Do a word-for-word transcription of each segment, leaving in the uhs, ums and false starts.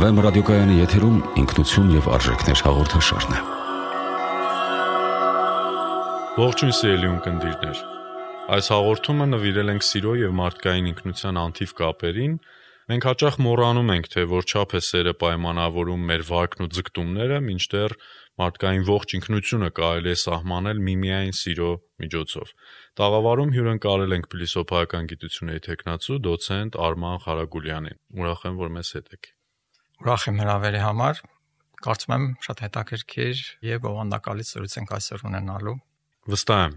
Վեմ ռադիոկայանի եթերում ինքնություն և արժեքներ հաղորդաշարն է։ Ողջույն սիրելի ունկնդիրներ։ Այս հաղորդումը նվիրել ենք սիրո և մարդկային ինքնության անթիվ կապերին։ Մենք հաճախ մոռանում ենք, թե որչափ է սերը պայմանավորում մեր վարքն ու ձգտումները, մինչդեռ մարդկային ողջ ինքնությունը կարելի է սահմանել միմիայն սիրո միջոցով։ Տաղավարում հյուրընկալել ենք փիլիսոփայական գիտությունների թեկնածու դոցենտ Արման Ղարագուլյանին։ Ուրախ եմ, որ մեզ հետ եք։ Ուրախ եմ հրավերի համար։ Կարծում եմ շատ հետաքրքիր և բովանդակալից զրույց ենք այսօր ունենալու։ Վստահ եմ։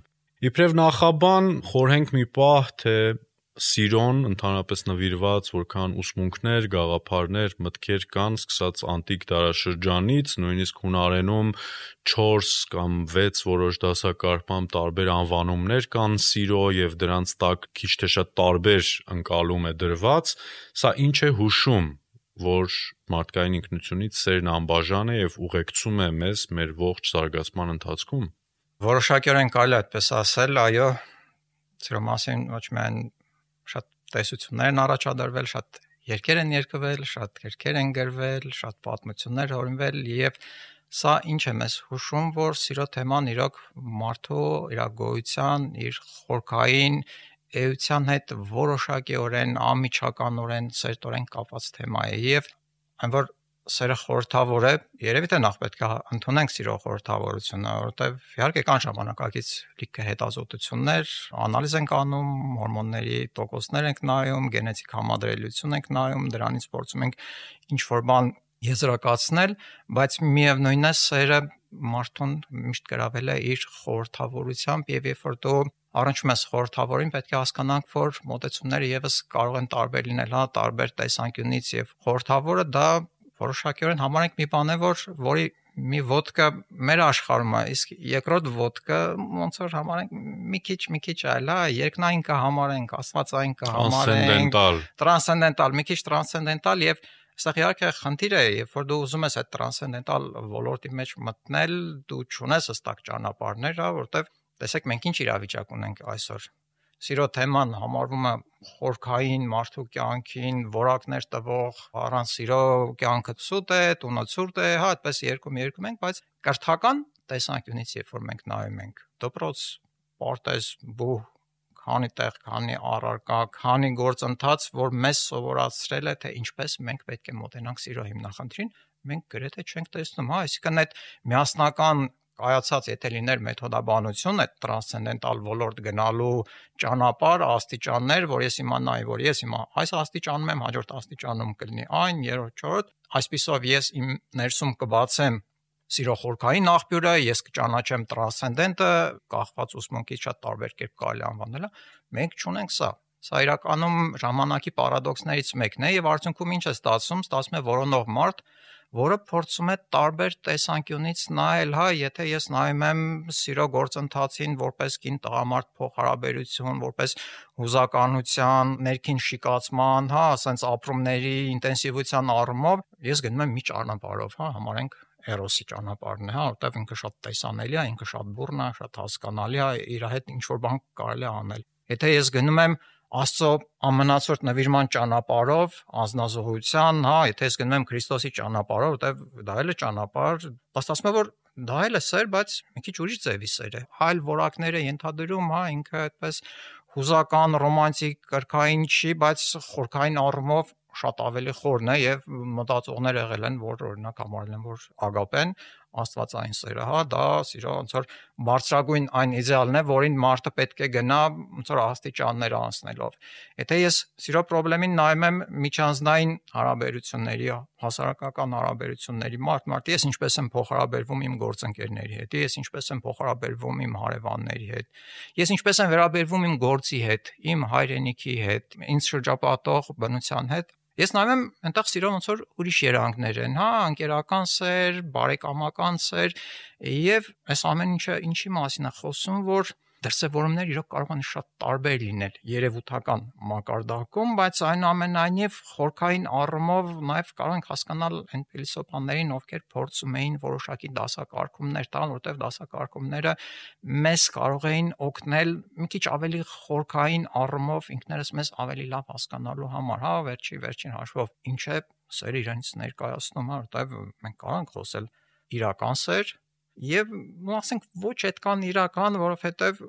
Իբրև նախաբան խորհենք մի պահ, թե սիրոն ընդհանրապես նվիրված որքան ուսմունքներ, գաղափարներ, մտքեր կան, սկսած անտիկ դարաշրջանից, նույնիսկ հունարենում չորս կամ վեց որոշ դասակարգմամբ տարբեր անվանումներ կան սիրո և դրանց տակ քիչ թե շատ տարբեր ընկալում է դրված, սա ինչ է հուշում, որ մարդկային ինքնությունից սերն անբաժան է և ուղեկցում է մեզ մեր ողջ զարգացման ընթացքում։ Որոշակիորեն կարելի է այդպես ասել, այո, սիրո մասին ոչ միայն շատ տեսություններ են առաջադրվել, շատ երգեր են երգվել, շատ գրքեր են գրվել, շատ պատմություններ հորինվել և սա ինչ է մեզ հուշում, որ սիրո թեման իրոք մարդու իր գոյության, իր խորքային էության հետ որոշակիորեն անմիջականորեն սերտորեն կապված թեմա է և այն որ սերը խորհրդավոր է, երևի թե նախ պետք է ընդունենք սիրո խորհրդավորությունը, որովհետև իհարկե կան ժամանակակից լիքը հետազոտություններ, անալիզ ենք անում, հորմոնների տոկոսներ ենք նայում, գենետիկ համադրելիություն ենք նայում, դրանից փորձում ենք ինչ-որ բան եզրակացնել, բայց միևնույնն է սերը մարդուն միշտ գրավել է իր խորհրդավորությամբ և երբ որ դու առնչվում ես խորհրդավորին, պետք է հասկանանք, որ մոտեցումները ևս կարող են տարբեր լինել, հա, տարբեր տեսանկյունից և խորհրդավորը դա որոշակիորեն համարենք մի բան է, որ որի մի ոտքը մեր աշխարհում է, իսկ երկրորդ ոտքը ոնց որ համարենք մի քիչ մի քիչ այլ, հա, երկնային կհամարենք, աստվածային կհամարենք, տրանսցենդենտալ, մի քիչ տրանսցենդենտալ եւ այստեղ իհարկե խնդիր է, երբ որ դու ուզում ես այդ տրանսցենդենտալ ոլորտի մեջ մտնել, դու չունես հստակ ճանապարհներ, հա, որտեվ տեսեք մենք ինչ իրավիճակ ունենք այսօր։ Սիրո թեման համարվում է խորքային մարդու կյանքին որակներ տվող, առանց սիրո կյանքը սուտ է, տունը ցուրտ է, հա, այդպես երկում երկում ենք, բայց կրթական տեսանկյունից երբ որ մենք նայում ենք, դպրոց, պարտեզ, բուհ, քանի տեղ, քանի առարկա, քանի գործընթաց, որ մեզ սովորացրել է, թե ինչպես մենք պետք է մոտենանք սիրո հիմնախնդրին, մենք գրեթե չենք տեսնում, հա, այսինքն այդ միասնական կայացած, եթե լիներ մեթոդաբանություն, այդ տրանսցենդենտալ ոլորտ գնալու ճանապարհ, աստիճաններ, որ ես իմանայի, որ ես հիմա այս աստիճանում եմ, հաջորդ աստիճանում կլինի այն, երրորդ, չորրորդ, այսպիսով ես իմ ներսում կբացեմ սիրո խորքային աղբյուրը, ես կճանաչեմ տրանսցենդենտը, կախված ուսմունքից շատ տարբեր կերպ կարելի անվանել, մենք չունենք սա։ Սա իրականում ժամանակի պարադոքսներից մեկն է եւ արդյունքում ինչ է ստացվում, ստացվում է որոնող մարդ, որը փորձում է տարբեր տեսանկյունից նայել, հա, եթե ես նայում եմ սիրո գործընթացին որպես կին տղամարդ փոխհարաբերություն, որպես հուզականության, ներքին շիկացման, հա, ասենց ապրումների ինտենսիվության առումով, ես գնում եմ մի ճանապարհով, հա, համարենք էրոսի ճանապարհն է, հա, որտեղ ինքը շատ տեսանելի է, ինքը շատ բուռն է, շատ հասկանալի է, իր հետ ինչ-որ բան կարելի է անել։ Եթե ես գնում եմ Աստծո ամենացորդ նվիրման ճանապարհով, անձնազոհության, հա, եթե ես գնում եմ Քրիստոսի ճանապարհով, որտեղ դա էլ է ճանապարհ, ստացվում է, որ դա էլ է սեր, բայց մի քիչ ուրիշ ձևի սեր է։ Այլ որակներ է ենթադրում, հա, ինքը այդպես հուզական, ռոմանտիկ, կրքային չի, բայց խորքային առումով շատ ավելի խորն է եւ մտածողներ եղել են, որ օրինակ համարել են, որ ագապեն աստվածային սերը, հա, դա սիրո ոնց որ բարձրագույն այն իդեալն է, որին մարդը պետք է գնա ոնց որ աստիճաններ անցնելով։ Եթե ես սիրո խնդրին նայում եմ միջանձնային հարաբերությունների, հասարակական հարաբերությունների մարդ մարդի, ես ինչպես եմ փոխհարաբերվում իմ գործընկերների հետ, ես ինչպես եմ փոխհարաբերվում իմ հարևանների հետ, ես ինչպես եմ վերաբերվում իմ գործի հետ, իմ հայրենիքի հետ, ինձ շրջապատող բնության հետ, ես նայում եմ այնտեղ սիրո ոնց որ ուրիշ երանգներ են, հա, անկերական սեր, բարեկամական սեր, եւ այս ամեն ինչը ինչի մասին է խոսում, որ դրսևորումները իրոք կարող են շատ տարբեր լինել երևութական մակարդակում, բայց այնուամենայնիվ խորքային առումով նաև կարող ենք հասկանալ այն փիլիսոփաներին, ովքեր փորձում էին որոշակի դասակարգումներ տալ, որտեղ դասակարգումները մեզ կարող էին օգնել մի քիչ ավելի խորքային առումով ինքներս մեզ ավելի լավ հասկանալու համար, հա, վերջի վերջին հաշվով ինչ է սերը իրենից ներկայացնում, հա, որտեղ մենք կարող ենք խոսել իրական սեր եւ ասենք ոչ այդքան իրական, որովհետեւ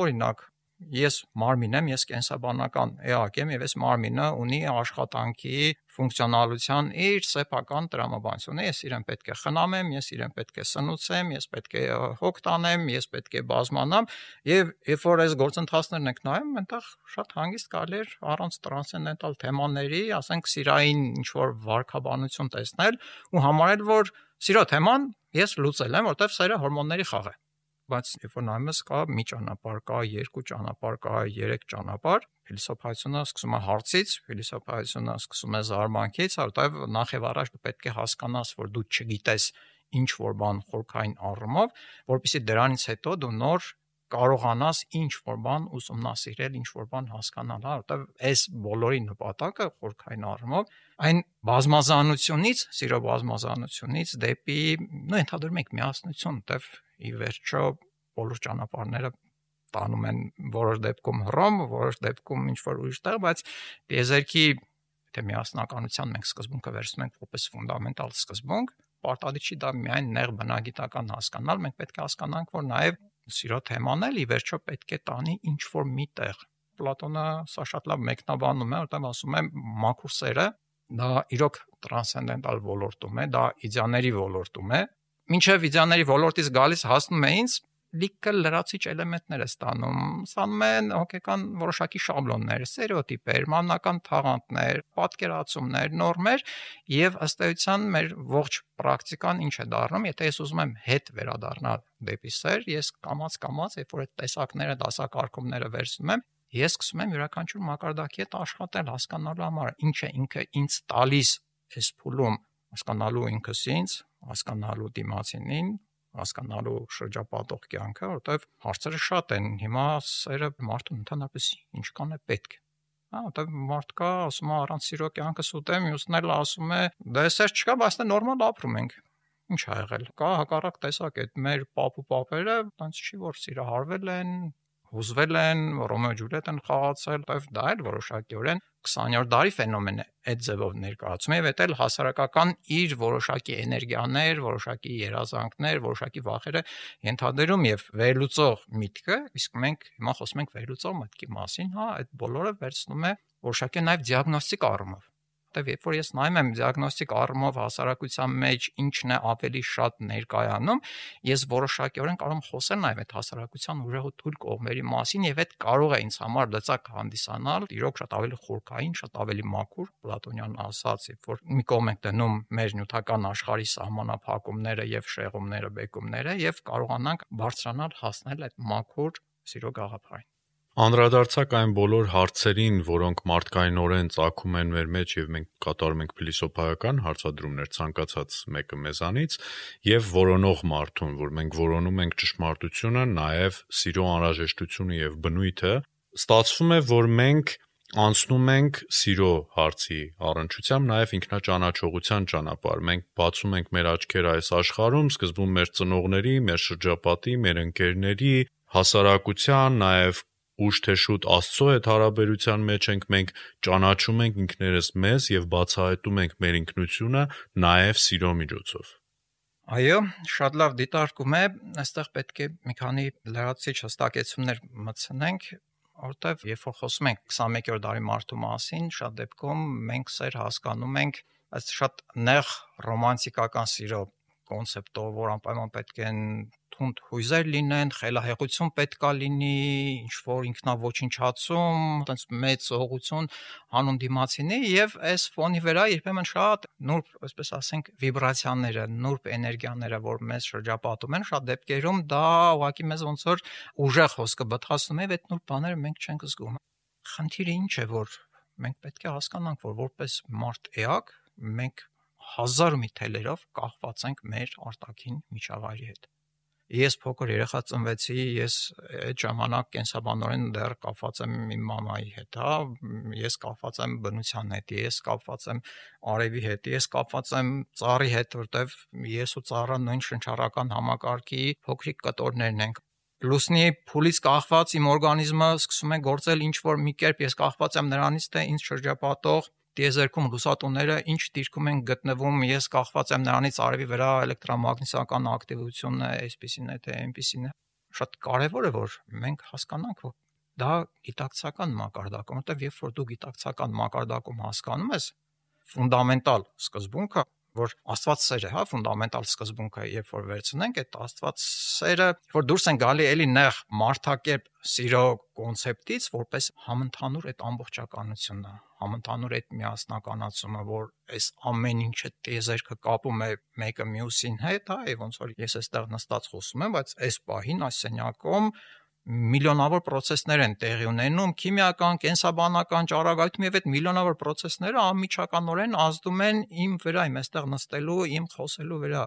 օրինակ ես մարմին եմ, ես կենսաբանական էակ եմ եւ այս մարմինը ունի աշխատանքի ֆունկցիոնալության իր սեփական տրամաբանությունը, ես իրեն պետք է խնամեմ, ես իրեն պետք է սնուցեմ, ես պետք է հոգ տանեմ, ես պետք է բազմանամ եւ երբ որ այս գործընթացներն եք նայում, այնտեղ շատ հանգիստ կարելի է առանց տրանսցենդենտալ թեմաների, ասենք սիրային ինչ որ վարքաբանություն տեսնել ու համարել, որ սիրո թեման ես լուծել եմ, որտեվ սերը հորմոնների խաղ է։ Բայց երբ որ նայում ես կա մի ճանապարհ, կա երկու ճանապարհ, կա երեք ճանապարհ, փիլիսոփայությունը սկսում է հարցից, փիլիսոփայությունը սկսում է զարմանքից, որտեվ նախ եւ առաջ դու պետք է հասկանաս, որ դու չգիտես ինչ որ բան խորքային առումով, որpիսի դրանից հետո դու նոր կարողանաս ինչ որ բան ուսումնասիրել, ինչ որ բան հասկանալ, հա, որտեվ այս բոլորի նպատակը խորքային առումով այն բազմազանությունից, սիրո բազմազանությունից դեպի, նո ընդհանրում ենք միասնություն, որտեվ ի վերջո բոլոր ճանապարհները տանում են որոշ դեպքում Հռոմ, որոշ դեպքում ինչ որ ուրիշ տեղ, բայց եզերքի թե միասնականության մենք սկզբունքը վերցնում ենք որպես ֆունդամենտալ սկզբունք, պարտադիր չի դա միայն նեղ բնագիտական հասկանալ, մենք պետք է հասկանանք, որ նաև սիրո թեման էլ ի վերջո պետք է տանի ինչ որ մի տեղ։ Պլատոնը սա շատ լավ մեկնաբանում է, որտեղ ասում է մաքուր սերը դա իրոք տրանսցենդենտալ ոլորտում է, դա իդեաների ոլորտում է, մինչև իդեաների ոլորտից գալիս հասնում է ինձ լիքը լրացիչ էլեմենտներ է ստանում, ստանում են հոգեկան որոշակի շաբլոններ, ստերեոտիպեր, մանական թաղանթներ, պատկերացումներ, նորմեր եւ ըստ էության մեր ողջ պրակտիկան ինչ է դառնում, եթե ես ուզում եմ հետ վերադառնալ դեպի սեր, ես կամաց-կամաց, երբ որ այդ տեսակները, դասակարգումները վերցնում եմ, ես սկսում եմ յուրաքանչյուր մակարդակի հետ աշխատել, հասկանալու համար, ինչ է ինքը ինձ տալիս այս փուլում, հասկանալու ինքս ինձ, հասկանալու դիմացինին, հասկանալու շրջապատող կյանքը, որովհետև հարցերը շատ են։ Հիմա սերը մարդուն ընդհանրապես ինչքան է պետք։ Հա, որովհետև մարդ կա, ասում է առանց սիրո կյանքը սուտ է, մյուսն էլ ասում է, դե սեր չկա, բայց դե նորմալ ապրում ենք։ Ինչ ա եղել։ Կա հակառակ տեսակ է, մեր պապ ու պապերը, այնց չի որ սիրահարվել են, հուզվել են, Ռոմեո Ջուլիետ են խաղացել, որովհետև դա էլ որոշակիորեն քսաներորդ դարի ֆենոմեն է այդ ձևով ներկայացում է, եւ դա էլ հասարակական իր որոշակի էներգիաներ, որոշակի երազանքներ, որոշակի վախերը ենթադրում եւ վերլուծող միտքը, իսկ մենք հիմա խոսում ենք վերլուծող մտքի մասին, հա, այդ բոլորը վերցնում է որոշակի նաեւ դիագնոստիկ առումով։ Որտեւ երբ որ ես նայում եմ դիագնոստիկ առումով հասարակության մեջ ինչն է ավելի շատ ներկայանում, ես որոշակիորեն կարող եմ խոսել նաեւ այդ հասարակության ուժեղ ու թույլ կողմերի մասին եւ այդ կարող է ինձ համար լծակ հանդիսանալ, իրոք շատ ավելի խորքային, շատ ավելի մաքուր, Պլատոնյան ասած, երբ որ մի կողմ ենք դնում մեր նյութական աշխարհի սահմանափակումները եւ շեղումները, բեկումները եւ կարողանանք բարձրանալ, հասնել այդ մաքուր սիրո գաղափարին։ Անդրադարձակ այն բոլոր հարցերին, որոնք մարդկայնորեն ծագում են մեր մեջ եւ մենք կատարում ենք փիլիսոփայական հարցադրումներ ցանկացած մեկը մեզանից եւ որոնող մարդուն, որ մենք որոնում ենք ճշմարտությունը, նաեւ սիրո անհրաժեշտությունը եւ բնույթը, ստացվում է, որ մենք անցնում ենք սիրո հարցի առնչությամբ նաեւ ինքնաճանաչողության ճանապարհ։ Մենք բացում ենք մեր աչքերը այս աշխարհում, սկզբում մեր ծնողների, մեր շրջապատի, մեր ընկերների, հասարակության, նաեւ ուշ թե շուտ Աստծո հետ հարաբերության մեջ ենք, մենք ճանաչում ենք ինքներս մեզ եւ բացահայտում ենք մեր ինքնությունը նաեւ սիրո միջոցով։ Այո, շատ լավ դիտարկում է, այստեղ պետք է մի քանի լրացիչ հստակեցումներ մտցնենք, որտեղ երբ որ խոսում ենք քսանմեկերորդ դարի մարդու մասին, շատ դեպքում մենք սեր հասկանում ենք այս շատ նեղ ռոմանտիկական սիրո կոնցեպտով, որ անպայման պետք են թունդ հույզեր լինեն, խելահեղություն պետքա լինի, ինչ որ ինքնաոչնչացում, այտենց մեծ ուղղություն հանուն դիմացինի եւ այս ֆոնի վրա երբեմն շատ նուրբ, այսպես ասենք, վիբրացիաները, նուրբ էներգիաները, որ մեզ շրջապատում են, շատ դեպքերում դա ուղղակի մեզ ոնց որ ուժեղ հոսքը բթացնում է, այդ նուրբ բաները մենք չենք զգում։ Խնդիրը ինչ է, որ մենք պետք է հասկանանք, որ որպես մարդ էակ մենք հազար մի թելերով կախված ենք մեր արտաքին միջավայրի հետ։ Ես փոքր երեխա ծնվեցի, ես այդ ժամանակ կենսաբանորեն դեռ կապված եմ իմ մամայի հետ, հա, ես կապված եմ բնության հետ, ես կապված եմ արևի հետ, ես կապված եմ ծառի հետ, որտեվ ես ու ծառը նույն շնչառական համակարգի փոքրիկ կտորներն ենք։ Լուսնի փուլից կախված իմ օրգանիզմը սկսում է գործել ինչ որ մի կերպ, ես կախված եմ նրանից, թե ինձ շրջապատող տիեզերքում լուսատուները ինչ դիրքում են գտնվում, ես կախված եմ նրանից արևի վրա էլեկտրամագնիսական ակտիվությունը այսպեսին է, թե այնպեսին է։ Շատ կարևոր է, որ մենք հասկանանք, որ դա գիտակցական մակարդակում, որտեղ երբ որ դու գիտակցական մակարդակում հասկանում ես ֆունդամենտալ սկզբունքը, որ Աստված սեր է, հա, ֆունդամենտալ սկզբունքը, երբ որ վերցնենք այդ Աստված սերը, որ դուրս են գալի էլի նեղ մարդակերպ սիրո կոնցեպտից, որպես համընդհանուր այդ ամբողջականությունը, համընդհանուր այդ միասնականացումը, որ այս ամեն ինչը տիեզերքը կապում է մեկը մյուսին հետ, հա, եւ ոնց որ ես այստեղ նստած խոսում եմ, բայց այս պահին այս սենյակում միլիոնավոր process-ներ են տեղի ունենում, քիմիական, կենսաբանական, ճառագայթում եւ այդ միլիոնավոր process-ները անմիջականորեն ազդում են իմ վրա, իմ այստեղ նստելու, իմ խոսելու վրա։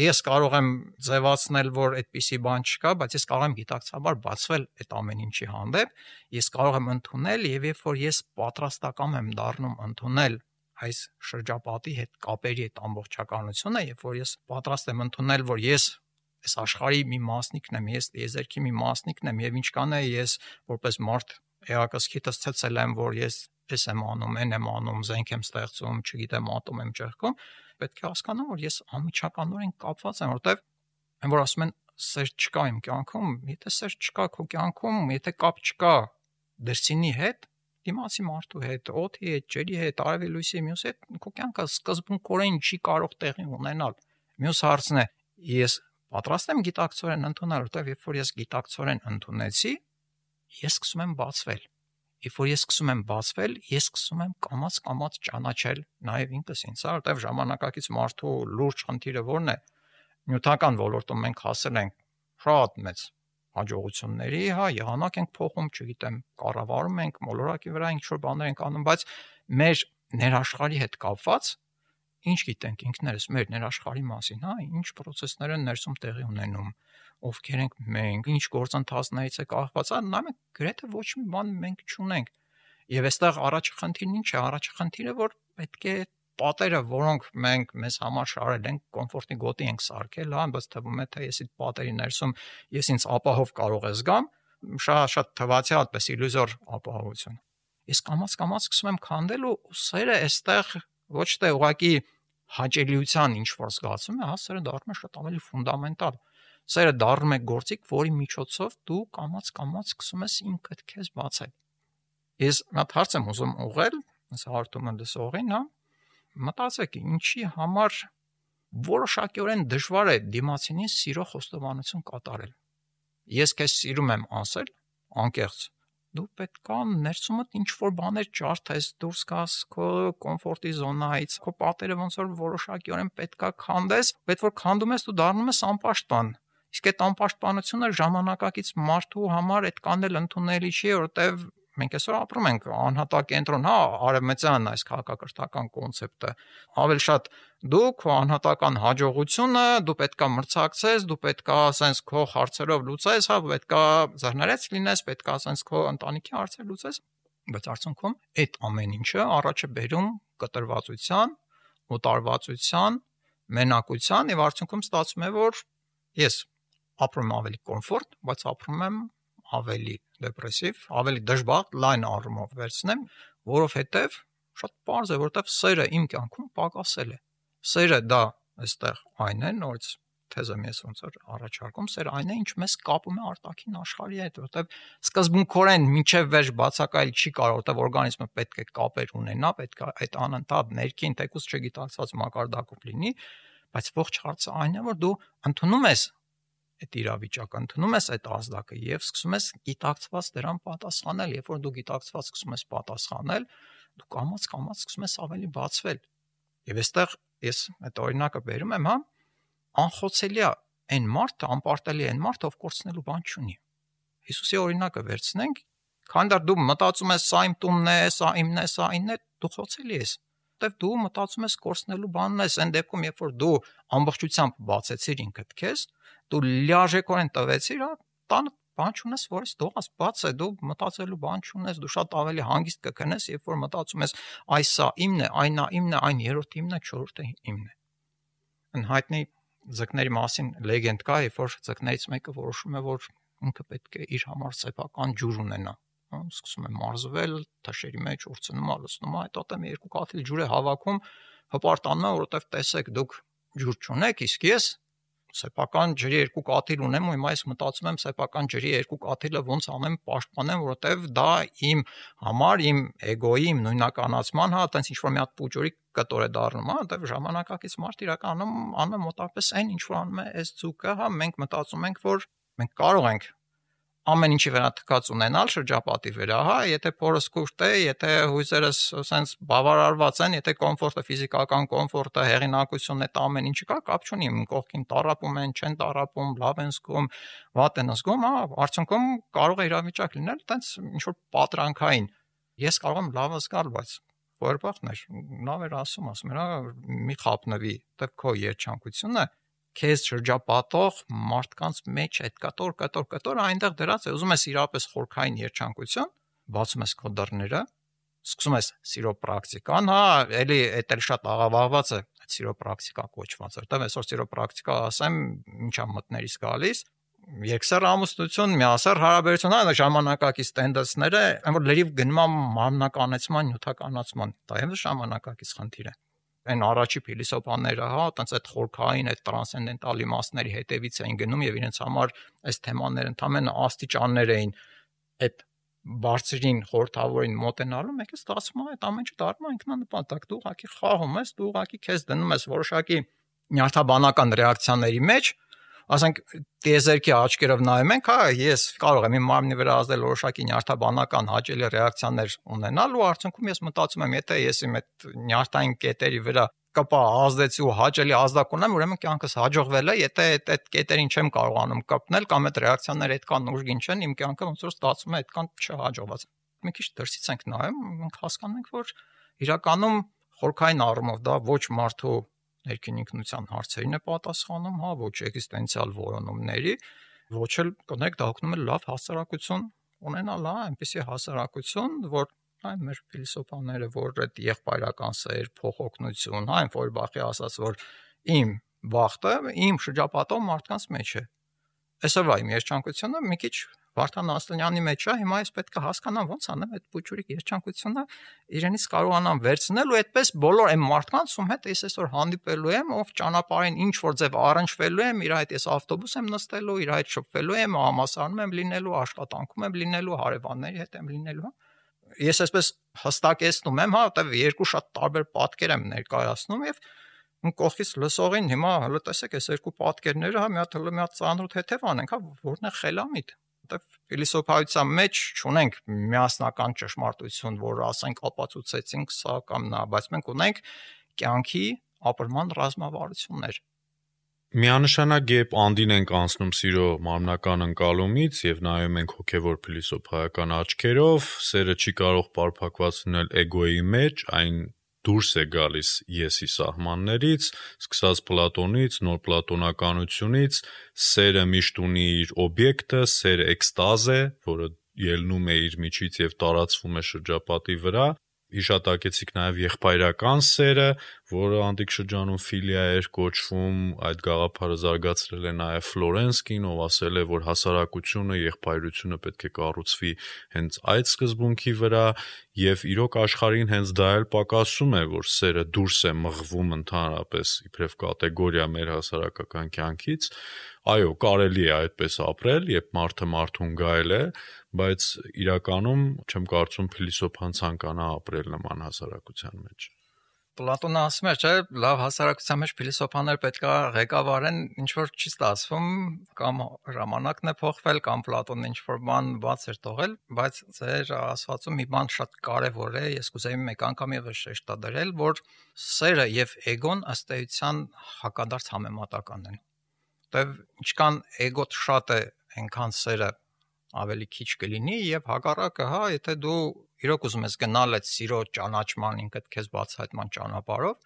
Ես կարող եմ ձևացնել, որ այդպիսի բան չկա, բայց ես կարող եմ գիտակցաբար բացվել այդ ամեն ինչի հանդեպ, ես կարող եմ ընդունել եւ երբ որ ես պատրաստական եմ դառնում ընդունել այս շրջապատի հետ կապերի այդ ամբողջականությունը, երբ որ ես պատրաստ եմ ընդունել, որ ես այս աշխարհի մի մասնիկն եմ, ես տիեզերքի մի մասնիկն եմ եւ ինչքան է ես որպես մարդ էակսքիտս ցեցել եմ, որ ես ես եմ անում, են եմ անում, զենք եմ ստեղծում, չգիտեմ, ատոմ եմ ճեղքում, պետք է հասկանամ, որ ես անմիջականորեն կապված եմ, որտեվ այն որ ասում են սեր չկա իմ կյանքում, եթե սեր չկա քո կյանքում, եթե կապ չկա դրսինի հետ, դիմացի մարդու հետ, օդի հետ, ջերի հետ, արևի լույսի մյուս հետ, քո կյանքը սկզբունքորեն չի կարող տեղի ունենալ։ Մյուս հարցն է, ես պատրաստ եմ գիտակցորեն ընդունել, որտեղ երբ որ ես գիտակցորեն ընդունեցի, ես սկսում եմ բացվել։ Երբ որ ես սկսում եմ բացվել, ես սկսում եմ կամաց-կամաց ճանաչել նաև ինքս ինձ, որտեղ ժամանակակից մարդու լուրջ խնդիրը ո՞րն է։ Նյութական ոլորտում մենք հասել ենք շատ մեծ հաջողությունների, հա, եղանակ ենք փոխում, չգիտեմ, կառավարում ենք, մոլորակի վրա ինչ-որ բաներ ենք անում, բայց մեր ներաշխարհի հետ կապված ինչ գիտենք ինքներս մեր ներաշխարհի մասին, հա, ինչ process-ներ են ներսում տեղի ունենում, ովքեր ենք մենք, ինչ գործընթացներից է կախված, հա, նայեք գրեթե ոչ մի բան մենք չունենք։ Եվ այստեղ առաջի խնդիրն ինչ է, առաջի խնդիրը, որ պետք է պատերը, որոնք մենք մեզ համար շարել ենք, կոմֆորտի գոտի ենք սարքել, հա, բայց թվում է թե ես այդ պատերի ներսում ես ինձ ապահով կարող եմ զգամ, շատ շատ թվացի այդպես իլյուզոր ապահովություն։ Ես կամաց-կամաց սկսում եմ քանդել ու սերը այստեղ ոչ թե ուղղակի հաճելիության ինչ որ զգացում է, հա, սերը դառնում է շատ ավելի ֆունդամենտալ։ Սերը դառնում է գործիք, որի միջոցով դու կամաց-կամաց սկսում ես ինքդ քեզ բացել։ Ես մի հատ հարց եմ ուզում ուղղել, այս հարթումը լսողին, հա, մտածեք, ինչի համար որոշակիորեն դժվար է դիմացինին սիրո խոստովանություն կատարել։ Ես քեզ սիրում եմ ասել, անկեղծ, դու պետք է ներսումդ ինչ որ բաներ ջարդես, դուրս գաս քո կոմֆորտի զոնայից, քո պատերը ոնց որ որոշակիորեն պետք է քանդես, պետք որ քանդում ես դու դառնում ես անպաշտպան։ Իսկ այդ անպաշտպանությունը ժամանակակից մարդու համար այդքան էլ ընդունելի չի, որովհետև մենք այսօր ապրում ենք անհատակենտրոն, հա, արևմտյան այս քաղաքակրթական կոնցեպտը, ավելի շատ դու քո անհատական հաջողությունը, դու պետքա մրցակցես, դու պետքա ասենց քո հարցերով լուծես, հա, պետքա զարներեց լինես, պետքա ասենց քո ընտանիքի հարցեր լուծես, բայց արդյունքում այդ ամեն ինչը առաջ է բերում կտրվածության, օտարվածության, մենակության եւ արդյունքում ստացվում է, որ ես ապրում եմ ավելի կոմֆորտ, բայց ապրում եմ ավելի դեպրեսիվ, ավելի դժբախտ, լայն առումով վերցնեմ, որովհետև շատ պարզ է, որովհետև սերը իմ կյանքում պակասել է։ Սերը դա այստեղ այն է, նորից թեզեմ ես ոնց որ առաջարկում, սերը այն է, ինչ մեզ կապում է արտաքին աշխարհի հետ, որովհետև սկզբունքորեն մինչև վերջ բացակայել չի կարող, որովհետև օրգանիզմը պետք է կապեր ունենա, պետք է այդ անընդհատ ներքին թեկուզ չգիտակցված մակարդակով լինի, բայց ողջ հարցը այն է, որ դու ընդունում ես այդ իրավիճակը, ընդունում ես այդ ազդակը եւ սկսում ես գիտակցված դրան պատասխանել, երբ որ դու գիտակցված սկսում ես պատասխանել, դու կամաց-կամաց սկսում ես ավելի բացվել։ Եվ այստեղ ես այդ օրինակը բերում եմ, հա, անխոցելի է այն մարդը, անպարտելի է այն մարդը, ով կորցնելու բան չունի։ Հիսուսի օրինակը վերցնենք, քանի դեռ դու մտածում ես սա իմ տունն է, սա իմն է, սա ինն է, դու խոցելի ես։ Որտեվ դու մտածում ես կորցնելու բանն ես, այն դեպքում, երբ որ դու ամբողջությամբ բացեցիր ինքդ քեզ, դու լիարժեքորեն տվեցիր, հա, տանը բան չունես, որ ես դողաս բաց է, դու մտածելու բան չունես, դու շատ ավելի հանգիստ կքնես, երբ որ մտածում ես այս սա իմն է, այն նա իմն է, այն երրորդը իմն է, չորրորդը իմն է։ Անհայտնի ձկների մասին լեգենդ կա, երբ որ ձկներից մեկը որոշում է, որ ինքը պետք է իր համար սեփական ջուր ունենա, սկսում է մարզվել, թաշերի մեջ ուրցնում, ալուսնում, հետո տեմ երկու կաթիլ ջուր է հավաքում, հպարտանում է, որովհետև տեսեք դուք ջուր չունեք, իսկ ես սեփական ջրի երկու կաթիլ ունեմ ու հիմա ես մտածում եմ սեփական ջրի երկու կաթիլը ոնց անեմ պաշտպանեմ, որովհետև դա իմ համար, իմ էգոյի, իմ նույնականացման, հա, այտենց ինչ որ մի հատ պուջուրի կտոր է դառնում, հա, որովհետև ժամանակակից մարդ իրականում անում է մոտավորապես այն ինչ որ անում է այս ձուկը, հա, մենք մտածում ենք, որ մենք կարող ենք ամեն ինչի վրա թքած ունենալ շրջապատի վրա, հա, եթե փորս կուշտ է, եթե հույզերս ասենց բավարարված են, եթե կոմֆորտը, ֆիզիկական կոմֆորտը, հեղինակությունն է, դա ամեն ինչը կա, կապ չունի, կողքին տառապում են, չեն տառապում, լավ են զգում, վատ են զգում, հա, արդյունքում կարող է իրավիճակ լինել, այտենց ինչ որ պատրանքային։ Ես կարող եմ լավ զգալ, բայց որբախներ, լավ էր ասում, ասում էր, հա, մի խափնվի, դա քո երջանկությունը քեզ շրջապատող մարդկանց մեջ այդ կտոր կտոր կտոր այնտեղ դրած է, ուզում ես իրապես խորքային երջանկություն, բացում ես քո դռները, սկսում ես սիրո պրակտիկան, հա, էլի էդ էլ շատ աղավաղված է, այդ սիրո պրակտիկա կոչված, որտեղ այսօր սիրո պրակտիկա ասեմ, ինչա մտներից գալիս, երկսեռ ամուսնություն, միասեռ հարաբերություն, այն ժամանակակից տենդենսները, այն որ լրիվ գնում է մարմնականացման, նյութականացման, դա էլ ժամանակակից խնդիր է։ Այն առաջի փիլիսոփաները, հա, այտենց այդ խորքային, այդ տրանսցենդենտալ իմաստների հետևից էին գնում եւ իրենց համար այս թեմաները ընդհանրապես աստիճաններ էին այդ բարձրին խորթավորին մոտենալու, մեկը ստացվում է այդ ամեն ինչը դառնում է ինքնանպատակ, դու ուղղակի խաղում ես, դու ուղղակի քեզ դնում ես որոշակի նյարդաբանական ռեակցիաների մեջ, ասենք տիեզերքի աչքերով նայում ենք, հա, ես կարող եմ իմ մարմնի վրա ազդել որոշակի նյարդաբանական հաճելի ռեակցիաներ ունենալ ու արդյունքում ես մտածում եմ, եթե ես իմ այդ նյարդային կետերի վրա կպա ազդեցի ու հաճելի ազդակ ունեմ, ուրեմն կյանքս հաջողվել է, եթե այդ այդ կետերին չեմ կարողանում կապնել կամ այդ ռեակցիաները այդքան ուժգին չեն, իմ կյանքը ոնց որ ստացվում է այդքան չհաջողված։ Մի քիչ դրսից ենք նայում, մենք հասկանում ենք, որ իրականում խորքային առումով դա ոչ մարդու ներքին ինքնության հարցերին է պատասխանում, հա, ոչ էգզիստենցիալ որոնումների, ոչ էլ կոնեք դա օգնում է լավ հասարակություն ունենալ, հա, այնպեսի հասարակություն, որ այն մեր փիլիսոփաները, որ այդ եղբայրական սեր, փոխօգնություն, հա, այն Ֆոյրբախի ասած, որ իմ բախտը իմ շրջապատող մարդկանց մեջ է։ Այսօրվա իմ երջանկությունը մի քիչ Վարդան Ասլանյանի մեջ է, հիմա ես պետք է հասկանամ ոնց անեմ այդ փուճուրիկ երջանկությունը իրենից կարողանամ վերցնել ու այդպես բոլոր այն մարդկանց, ում հետ ես այսօր հանդիպելու եմ, ով ճանապարհին ինչ որ ձև առնչվելու եմ, իր հետ ես ավտոբուս եմ նստելու, իր հետ շփվելու եմ, համասարանում եմ լինելու, աշխատանքում եմ լինելու, հարևանների հետ եմ լինելու։ Ես այսպես հստակեցնում եմ, հա, որտեվ երկու շատ տարբեր պատկեր եմ ներկայացնում եւ կողքից լսողին հիմա հələ տեսեք այս երկու պատկերները, հա, մի հատ հələ մի հատ ծանրոտ հետև անենք, հա, որն է խելամիտ։ Որտեվ փիլիսոփայության մեջ չունենք միասնական ճշմարտություն, որ ասենք ապացուցեցինք սա կամ նա, բայց մենք ունենք կյանքի ապրման ռազմավարություններ։ Միանշանակ երբ անդին ենք անցնում սիրո մարմնական ընկալումից եւ նայում ենք հոգեվոր փիլիսոփայական աչքերով, սերը չի կարող պարփակված լինել էգոյի մեջ, այն դուրս է գալիս եսի սահմաններից, սկսած Պլատոնից, նոր պլատոնականությունից, սերը միշտ ունի իր օբյեկտը, սերը էքստազ է, որը ելնում է իր միջից եւ տարածվում է շրջապատի վրա։ Հիշատակեցիք նաև եղբայրական սերը, որը անտիկ շրջանում ֆիլիա էր կոչվում, այդ գաղափարը զարգացրել է նաև Ֆլորենսկին, ով ասել է, որ հասարակությունը, եղբայրությունը պետք է կառուցվի հենց այդ սկզբունքի վրա, եւ իրոք աշխարհին հենց դա էլ պակասում է, որ սերը դուրս է մղվում ընդհանրապես իբրև կատեգորիա մեր հասարակական կյանքից։ Այո, կարելի է այդպես ապրել, երբ մարդը մարդուն գայել է, բայց իրականում չեմ կարծում փիլիսոփան ցանկանա ապրել նման հասարակության մեջ։ Պլատոնը ասում է, չէ, լավ հասարակության մեջ փիլիսոփաներ պետք է ղեկավարեն, ինչ որ չի ստացվում, կամ ժամանակն է փոխվել, կամ Պլատոնը ինչ որ բան բաց էր թողել, բայց ձեր ասվածում մի բան շատ կարևոր է, ես կուզեի մեկ անգամ եւս շեշտադրել, որ սերը եւ էգոն ըստ էության հակադարձ համեմատական են։ Որտեւ ինչքան էգոտ շատ է, այնքան սերը ավելի քիչ կլինի եւ հակառակը, հա, եթե դու իրոք ուզում ես գնալ այդ սիրո ճանաչման ինքդ քեզ բացահայտման ճանապարհով,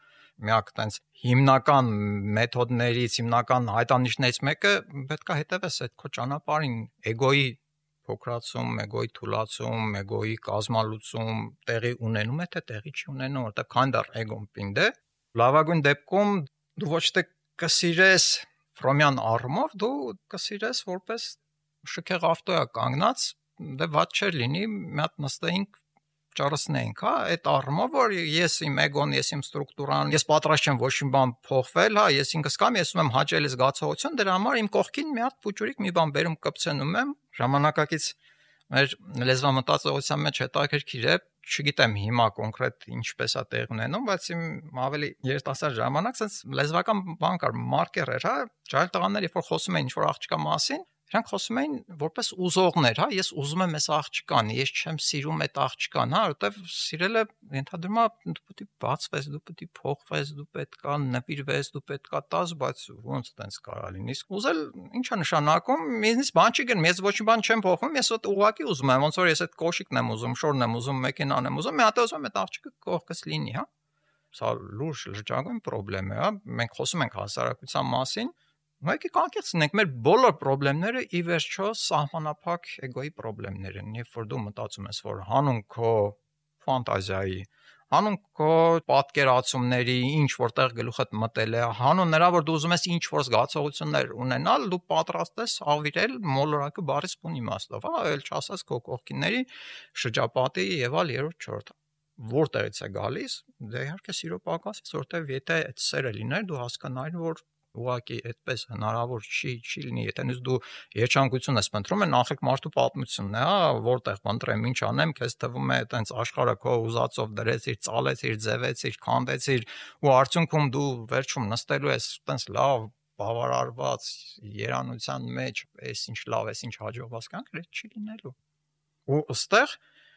միակ տենց հիմնական մեթոդներից, հիմնական հայտանիշներից մեկը պետք է հետևես այդ քո ճանապարհին, էգոյի փոքրացում, էգոյի թուլացում, էգոյի կազմալուծում տեղի ունենում է, թե տեղի չի ունենում, որտեղ քան դեռ էգոն պինդ է, լավագույն դեպքում դու ոչ թե կսիրես ֆրոմյան առումով, դու կսիրես որպես շքեղ ավտոյա կանգնած, դե ված չէր լինի, մի հատ նստեինք ճարսնեինք, հա, այդ առումով որ ես իմ էգոն, ես իմ ստրուկտուրան, ես պատրաստ չեմ ոչ մի բան փոխվել, հա, ես ինքս կամ ես ունեմ հաճելի զգացողություն, դրա համար իմ կողքին մի հատ փուճուրիկ մի բան բերում կպցնում եմ, ժամանակակից մեր լեզվամտածողության մեջ հետաքրքիր է, չգիտեմ հիմա կոնկրետ ինչպես է տեղ ունենում, բայց իմ ավելի երիտասարդ ժամանակ sense լեզվական բան կար, մարկեր էր, հա, ջահել տղաներ, երբ որ խոսում էին ինչ-որ աղջկա մասին, իրանք խոսում էին որպես ուզողներ, հա, ես ուզում եմ այս աղջկան, ես չեմ սիրում այդ աղջկան, հա, որտեվ սիրելը ենթադրում է դու պետք է բացվես, դու պետք է փոխվես, դու պետք է նվիրվես, դու պետք է տաս, բայց ոնց տենց կարա լինի։ Ուզել ի՞նչ է նշանակում, ինձ բան չի գնում, ես ոչ մի բան չեմ փոխում, ես այդ ուղակի ուզում եմ, ոնց որ ես այդ կոշիկն եմ ուզում, շորն եմ ուզում, մեքենան եմ ուզում, մի հատ ուզում եմ այդ աղջիկը կողքս լինի, հա։ Սա լուրջ լրջագույն խնդրեմ է, հա, մենք խոսում ենք հասարակության մասին, Մենք եկեք ենք մեր բոլոր խնդիրները ի վերջո սահմանափակ էգոյի խնդիրներ են, երբ որ դու մտածում ես, որ հանուն քո ֆանտազիայի, հանուն քո պատկերացումների, ինչ որտեղ գլուխդ մտել է, հանուն նրա, որ դու ուզում ես ինչ որ զգացողություններ ունենալ, դու պատրաստ ես ավիրել մոլորակը բարիս բուն իմաստով, հա, այլ չասած քո կողքինների շրջապատի եւ ալ երրորդ չորրորդ որտեղից է գալիս, դե իհարկե սիրո պակասից, որտեղ եթե այդ սերը լիներ, դու հասկանայիր, որ ուղղակի այդպես հնարավոր չի, չի լինի, եթե նույնիսկ դու երջանկություն ես փնտրում, նախեք մարդու պատմությունն է, հա, որտեղ փնտրեմ, ինչ անեմ, քեզ թվում է այտենց աշխարհը քո ուզածով դրեցիր, ծալեցիր, ձևեցիր, քանդեցիր, ու արդյունքում դու վերջում նստելու ես այտենց լավ բավարարված երանության մեջ, էս ինչ լավ, էս ինչ հաջողված կանք, դա չի լինելու։ Ու ըստեղ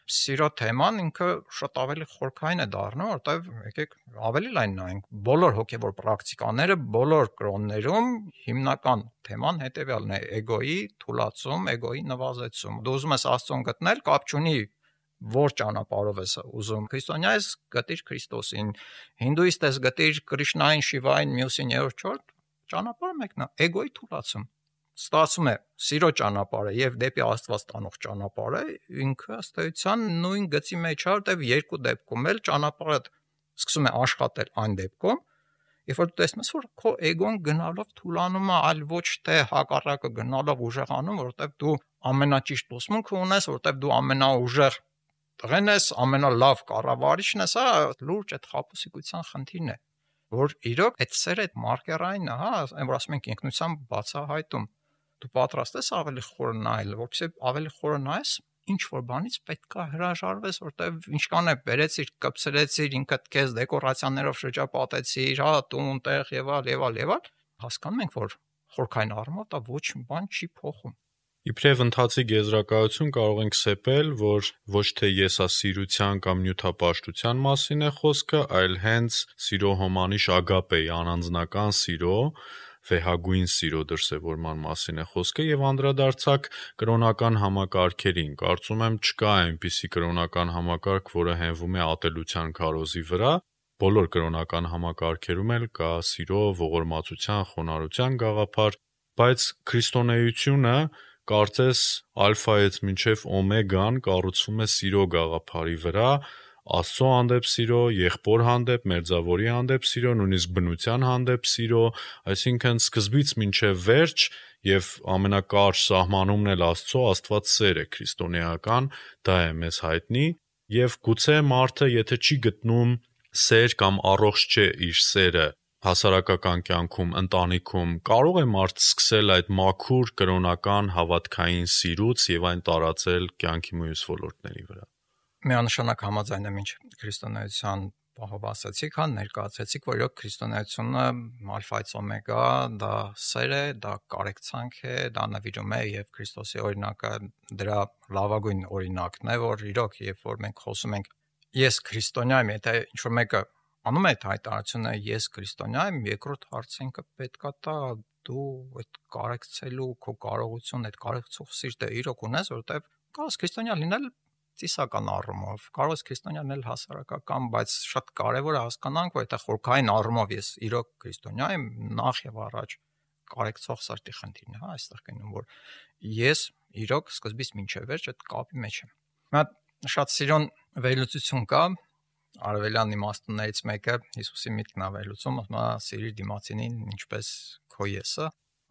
Սիրո թեման ինքը շատ ավելի խորքային է դառնում, որտեղ եկեք ավելի լայն նայենք բոլոր հոգևոր պրակտիկաները, բոլոր կրոններում հիմնական թեման հետևյալն է՝ էգոյի թուլացում, էգոյի նվազեցում։ Դու ուզում ես Աստծուն գտնել, կապ չունի որ ճանապարհով ես ուզում։ Քրիստոնյա ես գտիր Քրիստոսին, հինդուիստ ես գտիր Կրիշնային, Շիվային, մյուսին երրորդ չորրորդ, ճանապարհը մեկն է՝ էգոյի թուլացում։ Ստացվում է սիրո ճանապարհը եւ դեպի Աստված տանող ճանապարհը ինքը ըստ էության նույն գծի մեջ է, որտեղ երկու դեպքում էլ ճանապարհը սկսում է աշխատել այն դեպքում, երբ որ դու տեսնում ես, որ քո էգոն գնալով թուլանում է, այլ ոչ թե հակառակը գնալով ուժեղանում, որտեղ դու ամենաճիշտ ուսմունքը ունես, որտեղ դու ամենաուժեղ տղեն ես, ամենալավ կառավարիչն ես, հա, լուրջ այդ խաբուսիկության խնդիրն է, որ իրոք այդ սերը այդ մարկերային է, հա, այն որ ասում ենք ինքնության բացահայտում Դու պատրաստ ես ավելի խորը նայել, որովհետեւ ավելի խորը նայես, ինչ որ բանից պետք է հրաժարվես, որտեվ ինչքան է բերեցիր, կպցրեցիր, ինքդ քեզ դեկորացիաներով շրջապատեցիր, հա, տուն, տեղ եւ այլ եւ այլ եւ այլ, հասկանում ենք, որ խորքային առումով դա ոչ մի բան չի փոխում։ Իբրև ընթացիկ եզրակացություն կարող ենք սեպել, որ ոչ թե եսասիրության կամ նյութապաշտության մասին է խոսքը, այլ հենց սիրո հոմանիշ ագապեի անանձնական սիրո վեհագույն սիրո դրսևորման մասին է խոսքը եւ անդրադարձակ կրոնական համակարգերին։ Կարծում եմ չկա այնպիսի կրոնական համակարգ, որը հենվում է ատելության քարոզի վրա։ Բոլոր կրոնական համակարգերում էլ կա սիրո, ողորմածության, խոնարհության գաղափար, բայց քրիստոնեությունը կարծես ալֆայից մինչև օմեգան կառուցվում է սիրո գաղափարի վրա, Աստծո հանդեպ սիրո, եղբոր հանդեպ, մերձավորի հանդեպ սիրո, նույնիսկ բնության հանդեպ սիրո, այսինքն սկզբից մինչև վերջ եւ ամենակարճ սահմանումն էլ Աստծո, Աստված սեր է քրիստոնեական, դա է մեզ հայտնի, եւ գուցե մարդը, եթե չի գտնում սեր կամ առողջ չէ իր սերը հասարակական կյանքում, ընտանիքում, կարող է մարդ սկսել այդ մաքուր կրոնական հավատքային սիրուց եւ այն տարածել կյանքի մյուս ոլորտների վրա։ Միանշանակ համաձայն եմ ինչ քրիստոնեության պահով ասացիք, հա, ներկայացրեցիք, որ իրոք քրիստոնեությունը ալֆայից օմեգա, դա սեր է, դա կարեկցանք է, դա նվիրում է եւ Քրիստոսի օրինակը դրա լավագույն օրինակն է, որ իրոք երբ որ մենք խոսում ենք ես քրիստոնյա եմ, եթե ինչ որ մեկը անում է այդ հայտարարությունը ես քրիստոնյա եմ, երկրորդ հարցը ինքը պետքա տա դու այդ կարեկցելու քո կարողություն, այդ կարեկցող սիրտը իրոք ունես, որովհետեւ կարս քրիստոնյա լինել ծիսական առումով, կարող է քրիստոնյան էլ հասարակական, բայց շատ կարևոր է հասկանանք, որ այդ խորքային առումով ես իրոք քրիստոնյա եմ, նախ եւ առաջ կարեկցող սրտի խնդիրն է, հա, այստեղ կնում որ ես իրոք սկզբից մինչև վերջ այդ կապի մեջ եմ։ Հիմա շատ սիրուն վերլուծություն կա, արևելյան իմաստուններից մեկը Հիսուսի միտքն է վերլուծում, ասում է սիրիր դիմացինին ինչպես քո եսը։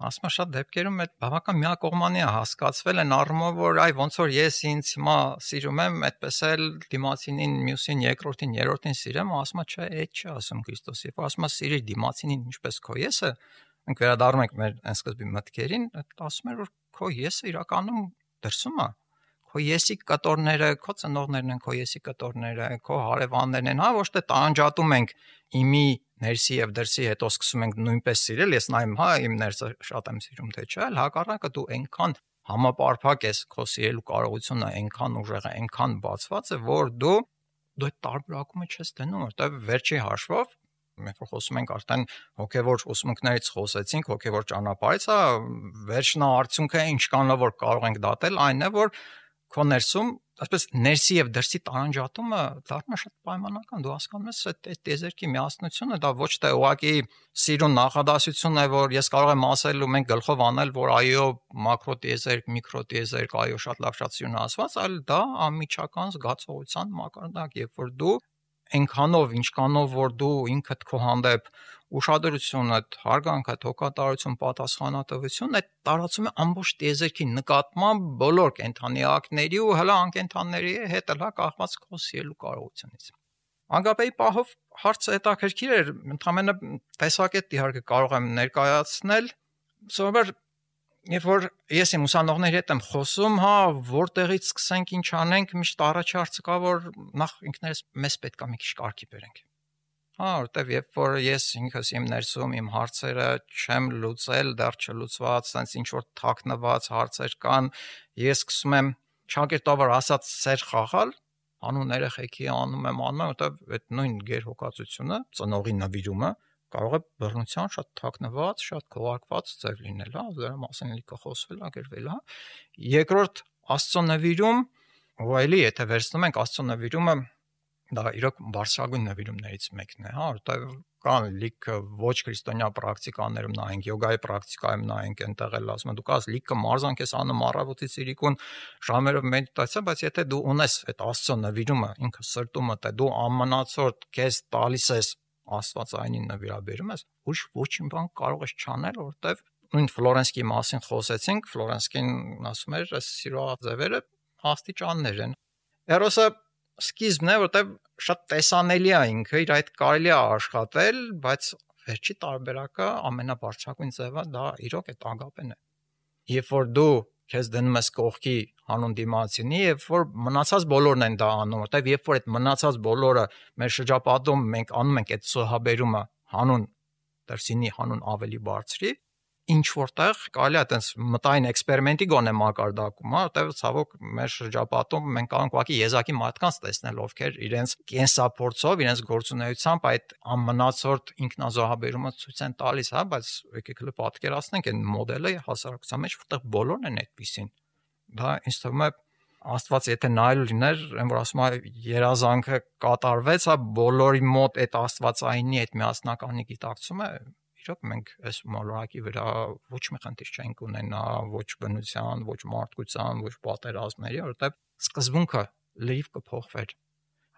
Ասում է շատ դեպքերում այդ բավական միակողմանի է հասկացվել են առումով, որ այ ոնց որ ես ինձ հիմա սիրում եմ, այդպես էլ դիմացինին, մյուսին, երկրորդին, երրորդին սիրեմ, ասում է չէ, այդ չի ասում Քրիստոսը, որ ասում է սիրիր դիմացինին ինչպես քո եսը, մենք վերադառնում ենք մեր այն սկզբի մտքերին, ասում է որ քո եսը իրականում դրսում է, քո եսի կտորները, քո ծնողներն են, քո եսի կտորները, քո հարևաններն են, հա, ոչ թե տանջատում ենք իմի ներսի եւ դրսի, հետո սկսում ենք նույնպես սիրել, ես նայեմ, հա, իմ ներսը շատ եմ սիրում, թե չէ, հակառակը դու այնքան համապարփակ ես, քո սիրելու կարողությունը այնքան ուժեղ է, այնքան բացված է, որ դու դու այդ տարբերակումը չես դնում, որտեղ վերջի հաշվով մենք որ խոսում ենք արդեն հոգևոր ուսմունքներից խոսեցինք, հոգևոր ճանապարհից, հա, վերջնա արդյունքը ինչքան որ կարող ենք դատել, այն է, որ քո ներսում, այսպես ներսի եւ դրսի տարանջատումը դառնում է շատ պայմանական, դու հասկանում ես այդ այդ տեզերքի միասնությունը, դա ոչ թե ուղղակի սիրուն նախադասություն է, որ ես կարող եմ ասել ու մենք գլխով անել, որ այո, մակրո տեզերք, միկրո տեզերք, այո, շատ լավ շատ սիրուն ասված, այլ դա անմիջական զգացողության մակարդակ, երբ որ դու այնքանով, ինչքանով որ դու ինքդ քո հանդեպ ուշադրությունդ, հարգանքդ, հոգատարություն, պատասխանատվություն, այդ տարածում է ամբողջ տեզերքի նկատմամբ բոլոր կենդանիակների ու հələ անկենդանների հետ հələ կախված քո սիրելու կարողությունից։ Անգապեի պահով հարցը հետաքրքիր էր, ընդհանրապես տեսակետ իհարկե կարող եմ ներկայացնել, սովորաբար երբ որ ես իմ ուսանողների հետ եմ խոսում, հա, որտեղից սկսենք, ինչ անենք, միշտ առաջի հարցը կա, որ նախ ինքներս մեզ պետք է մի քիչ կարգի բերենք։ Հա, որտեվ երբ որ ես ինքս իմ ներսում իմ հարցերը չեմ լուծել, դեռ չլուծված, sense ինչ որ թաքնված հարցեր կան, ես սկսում եմ ճակերտավոր ասած սեր խաղալ, անուն երեխեքի անում եմ, անում եմ, որտեվ այդ նույն գերհոգացությունը, ծնողի նվիրումը կարող է բռնության շատ թաքնված, շատ քողարկված ձև լինել, հա, դրա մասին լիքը խոսվել, ագրվել, հա։ Երկրորդ Աստծո նվիրում, ու այլի, եթե վերցնում ենք Աստծո նվիրումը, դա իրոք բարձրագույն նվիրումներից մեկն է, հա, որտեղ կան լիքը ոչ քրիստոնյա պրակտիկաներում նայենք, յոգայի պրակտիկայում նայենք, այնտեղ էլ ասում են դու կաս լիքը մարզանք ես անում առավոտից իրիկուն ժամերով մեդիտացիա, բայց եթե դու ունես այդ Աստծո նվիրումը, ինքը սրտումդ է, դու ամենացորդ քեզ տալիս ես Աստվածայինին նվիրաբերում ես, ուրիշ ոչինչ բան կարող ես չանել, որտեվ նույն Ֆլորենսկի մասին խոսեցինք, Ֆլորենսկին ասում էր, այս սիրո ձևերը աստիճաններ են։ Էրոսը սկիզբն է, որտեվ շատ տեսանելի է ինքը, իր այդ կարելի է աշխատել, բայց վերջի տարբերակը ամենաբարձրագույն ձևը դա իրոք այդ ագապեն է։ Երբ որ դու քեզ դնում ես կողքի հանուն դիմացինի, եւ որ մնացած բոլորն են դա անում, որտեվ երբ որ այդ մնացած բոլորը մեր շրջապատում մենք անում ենք այդ սոհաբերումը հանուն դրսինի հանուն ավելի բարձրի, ինչ որտեղ կարելի է այտենց մտային էքսպերիմենտի գոնե մակարդակում, հա, որտեվ ցավոք մեր շրջապատում մենք կարող ենք ուղղակի եզակի մարդկանց տեսնել, ովքեր իրենց կենսափորձով, իրենց գործունեությամբ այդ ամնացորդ ինքնազոհաբերումը ցույց են տալիս, հա, բայց եկեք հələ պատկերացնենք այն մոդելը հասարակության մեջ, որտեղ բոլորն են այդպեսին։ Դա ինձ թվում է Աստված եթե նայել լիներ, այն որ ասում է երազանքը կատարվեց, հա, բոլորի մոտ այդ Աստվածայինի այդ միասնականի գիտակցումը, իրոք մենք այս մոլորակի վրա ոչ մի խնդիր չենք ունենա, ոչ բնության, ոչ մարդկության, ոչ պատերազմների, որովհետև սկզբունքը լրիվ կփոխվեր։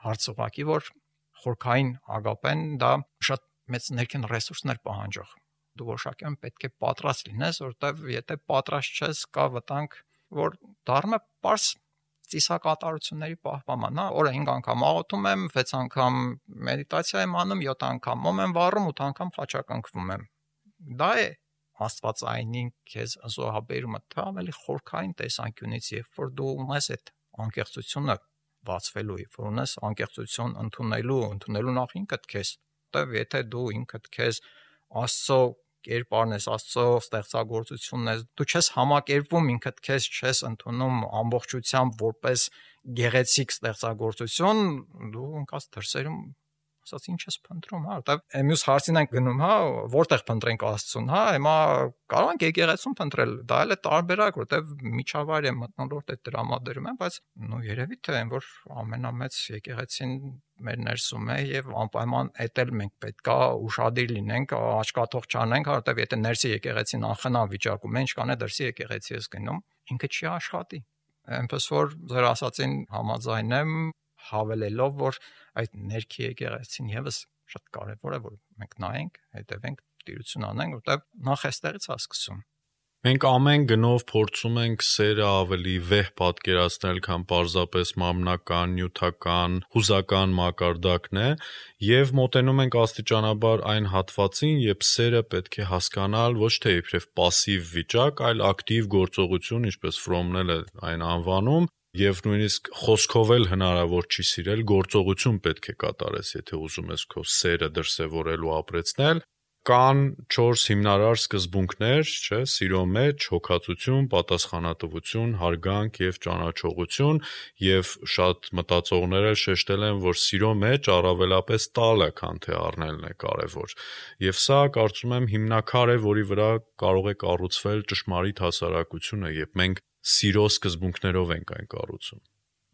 Հարցը ուղղակի որ խորքային ագապեն դա շատ մեծ ներքին ռեսուրսներ պահանջող։ Դու որոշակիորեն պետք է պատրաստ լինես, որովհետև եթե պատրաստ չես, կա վտանգ, որ դառնա պարզ ծիսակատարությունների պահպանման, հա, օրը հինգ անգամ աղոթում եմ, վեց անգամ մեդիտացիա եմ անում, յոթ անգամ մոմ եմ վառում, ութ անգամ խաչակնքվում եմ։ Դա է Աստվածայինին քեզ զոհաբերումը, դա ավելի խորքային տեսանկյունից, երբ որ դու ունես այդ անկեղծությունը բացվելու, երբ որ ունես անկեղծություն ընդունելու, ընդունելու նախ ինքդ քեզ, որտեվ եթե դու ինքդ քեզ Աստծո կերպարն ես, Աստծո ստեղծագործությունն ես, դու չես համակերպվում ինքդ քեզ, չես ընդունում ամբողջությամբ որպես գեղեցիկ ստեղծագործություն, դու ընկած դրսերում ասած ինչ ես փնտրում, հա, որտեվ մյուս հարցին ենք գնում, հա, որտեղ փնտրենք Աստծուն, հա, հիմա կարող ենք եկեղեցում փնտրել, դա էլ է տարբերակ, որտեվ միջավայր է մտնոլորտ է տրամադրում են, բայց նո երևի թե այն որ ամենամեծ եկեղեցին մեր ներսում է եւ անպայման էտել մենք պետքա ուշադիր լինենք, աչքաթող չանենք, որտեվ եթե ներսի եկեղեցին անխնամ վիճակում է, ինչքան է դրսի եկեղեցի ես գնում, ինքը չի աշխատի։ Այնպես որ ձեր ասածին համաձայն եմ, հավելելով որ այդ ներքի եկեղեցին եւս շատ կարեւոր է որ մենք նայենք, հետևենք, տիրություն անենք, որտեղ նախ էստեղից է սկսում։ Մենք ամեն գնով փորձում ենք սերը ավելի վեհ պատկերացնել, քան պարզապես մամնական, նյութական, հուզական մակարդակն է, եւ մոտենում ենք աստիճանաբար այն հատվածին, երբ սերը պետք է հասկանալ ոչ թե իբրև пассив վիճակ, այլ ակտիվ գործողություն, ինչպես Ֆրոմն է այն անվանում, եւ նույնիսկ խոսքով էլ հնարավոր չի սիրել, գործողություն պետք է կատարես, եթե ուզում ես քո սերը դրսևորել ու ապրեցնել։ Կան չորս հիմնարար սկզբունքներ, չէ, սիրո մեջ հոգացություն, պատասխանատվություն, հարգանք եւ ճանաչողություն, եւ շատ մտածողներ էլ շեշտել են, որ սիրո մեջ առավելապես տալը, քան թե առնելն է կարեւոր։ Եվ սա կարծում եմ հիմնաքար է, որի վրա կարող է կառուցվել ճշմարիտ հասարակությունը, երբ մենք սիրո սկզբունքներով ենք այն կառուցում։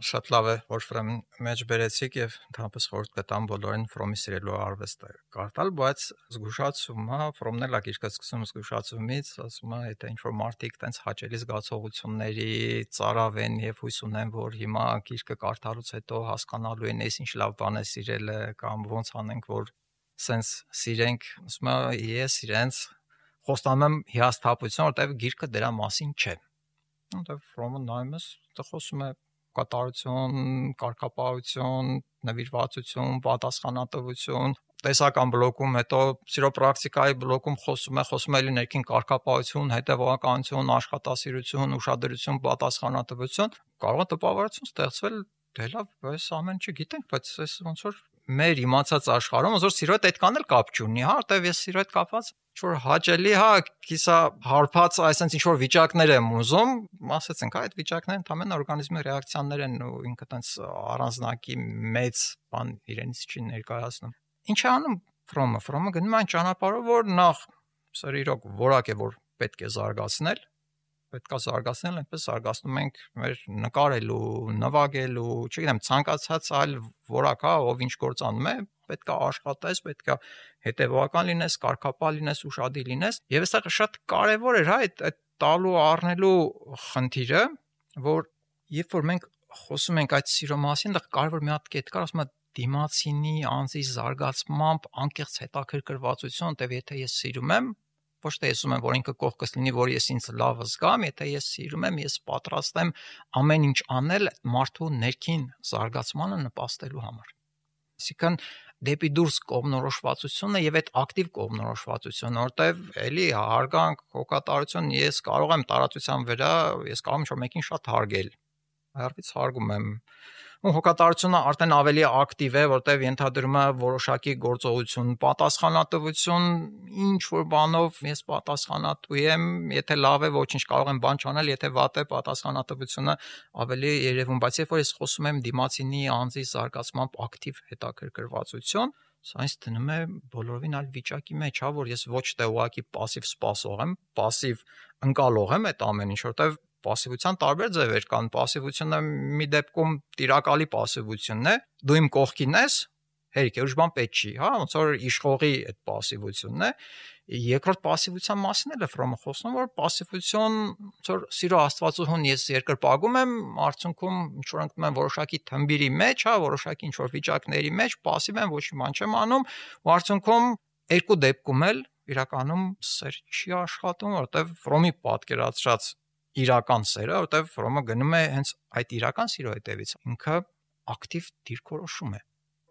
Շատ լավ է, որ Ֆրոմի մեջ բերեցիք եւ ընդհանրապես խորհուրդ կտամ բոլորին Ֆրոմի սիրելու արվեստը կարդալ, բայց զգուշացում, հա, Ֆրոմն էլ է գիրքը սկսում զգուշացումից, ասում է, եթե ինչ-որ մարդիկ տենց հաճելի զգացողությունների ծարավ են եւ հույս ունեն, որ հիմա գիրքը կարդալուց հետո հասկանալու են, այս ինչ լավ բան է սիրելը կամ ոնց անենք, որ սենց սիրենք, ասում է, ես իրենց խոստանում եմ հիասթափություն, որտեղ գիրքը դրա մասին չէ։ Որտեղ Ֆրոմը նայում ես, դա խոսում է կատարություն, կարգապահություն, նվիրվածություն, պատասխանատվություն, տեսական բլոկում, հետո սիրո պրակտիկայի բլոկում խոսում է, խոսում է էլի ներքին կարգապահություն, հետևողականություն, աշխատասիրություն, ուշադրություն, պատասխանատվություն, կարող է տպավորություն ստեղծվել, դե լավ, այս ամեն ինչը գիտենք, բայց այս ոնց որ մեր իմացած աշխարհում ոնց որ սիրո հետ այդքան էլ կապ չունի, հա, որտեվ ես սիրո հետ կապված ինչ-որ հաճելի, հա, կիսա հարբած այսպես ինչ-որ վիճակներ եմ ուզում, ասեցինք, հա, այդ վիճակները ընդհանրեն օրգանիզմի ռեակցիաներ են ու ինքը տենց առանձնակի մեծ բան իրենից չի ներկայացնում։ Ինչ է անում Ֆրոմը, Ֆրոմը գնում է այն ճանապարհով, որ նախ սա իրոք որակ է, որ պետք է զարգացնել, պետքա զարգացնել, այնպես զարգացնում ենք մեր նկարելու, նվագելու, չգիտեմ, ցանկացած այլ որակ, հա, ով ինչ գործ անում է, պետքա աշխատես, պետքա հետևողական լինես, կարգապահ լինես, ուշադիր լինես, եւ այստեղ շատ կարեւոր էր, հա, այդ այդ տալու առնելու խնդիրը, որ երբ որ մենք խոսում ենք այդ սիրո մասին, դա կարեւոր մի հատ կետ կար, ասում եմ դիմացինի անձի զարգացմամբ անկեղծ հետաքրքրվածություն, որտեվ եթե ես սիրում եմ, ոչ թե ես ուզում եմ, որ ինքը կողքս լինի, որ ես ինձ լավ զգամ, եթե ես սիրում եմ, ես պատրաստ եմ ամեն ինչ անել մարդու ներքին զարգացմանը նպաստելու համար։ Այսինքն դեպի դուրս կողմնորոշվածությունը եւ այդ ակտիվ կողմնորոշվածությունը, որտեվ էլի հարգանք, հոգատարություն, ես կարող եմ տարածության վրա, ես կարող եմ ինչ-որ մեկին շատ հարգել։ Այարվից հարգում եմ։ Ու հոգատարությունը արդեն ավելի ակտիվ է, որտեվ ենթադրում է որոշակի գործողություն, պատասխանատվություն, ինչ որ բանով ես պատասխանատու եմ, եթե լավ է, ոչինչ կարող եմ բան չանել, եթե վատ է, պատասխանատվությունը ավելի երևում, բայց երբ որ ես խոսում եմ դիմացինի անձի զարգացմամբ ակտիվ հետաքրքրվածություն, սա ինձ դնում է բոլորովին այլ վիճակի մեջ, հա, որ ես ոչ թե ուղղակի пассив սպասող եմ, пассив ընկալող եմ այդ ամեն ինչ, որտեվ Պասիվության տարբեր ձևեր կան, պասիվությունը մի դեպքում տիրակալի պասիվությունն է, դու իմ կողքին ես, հերիք է, ուրիշ բան պետք չի, հա, ոնց որ իշխողի այդ պասիվությունն է, երկրորդ պասիվության մասին էլ է Ֆրոմը խոսում, որ պասիվություն, ոնց որ սիրո աստվածուհուն ես երկրպագում եմ, արդյունքում ինչ որ ընկնում եմ որոշակի թմբիրի մեջ, հա, որոշակի ինչ որ վիճակների մեջ, պասիվ եմ, ոչ մի բան չեմ անում, ու արդյունքում երկու դեպքում էլ իրականում սեր չի աշխատում, որտեղ Ֆրոմի պատկերացրած իրական սերը, որտեղ Ֆրոմը գնում է հենց այդ իրական սիրո հետևից, ինքը ակտիվ դիրքորոշում է։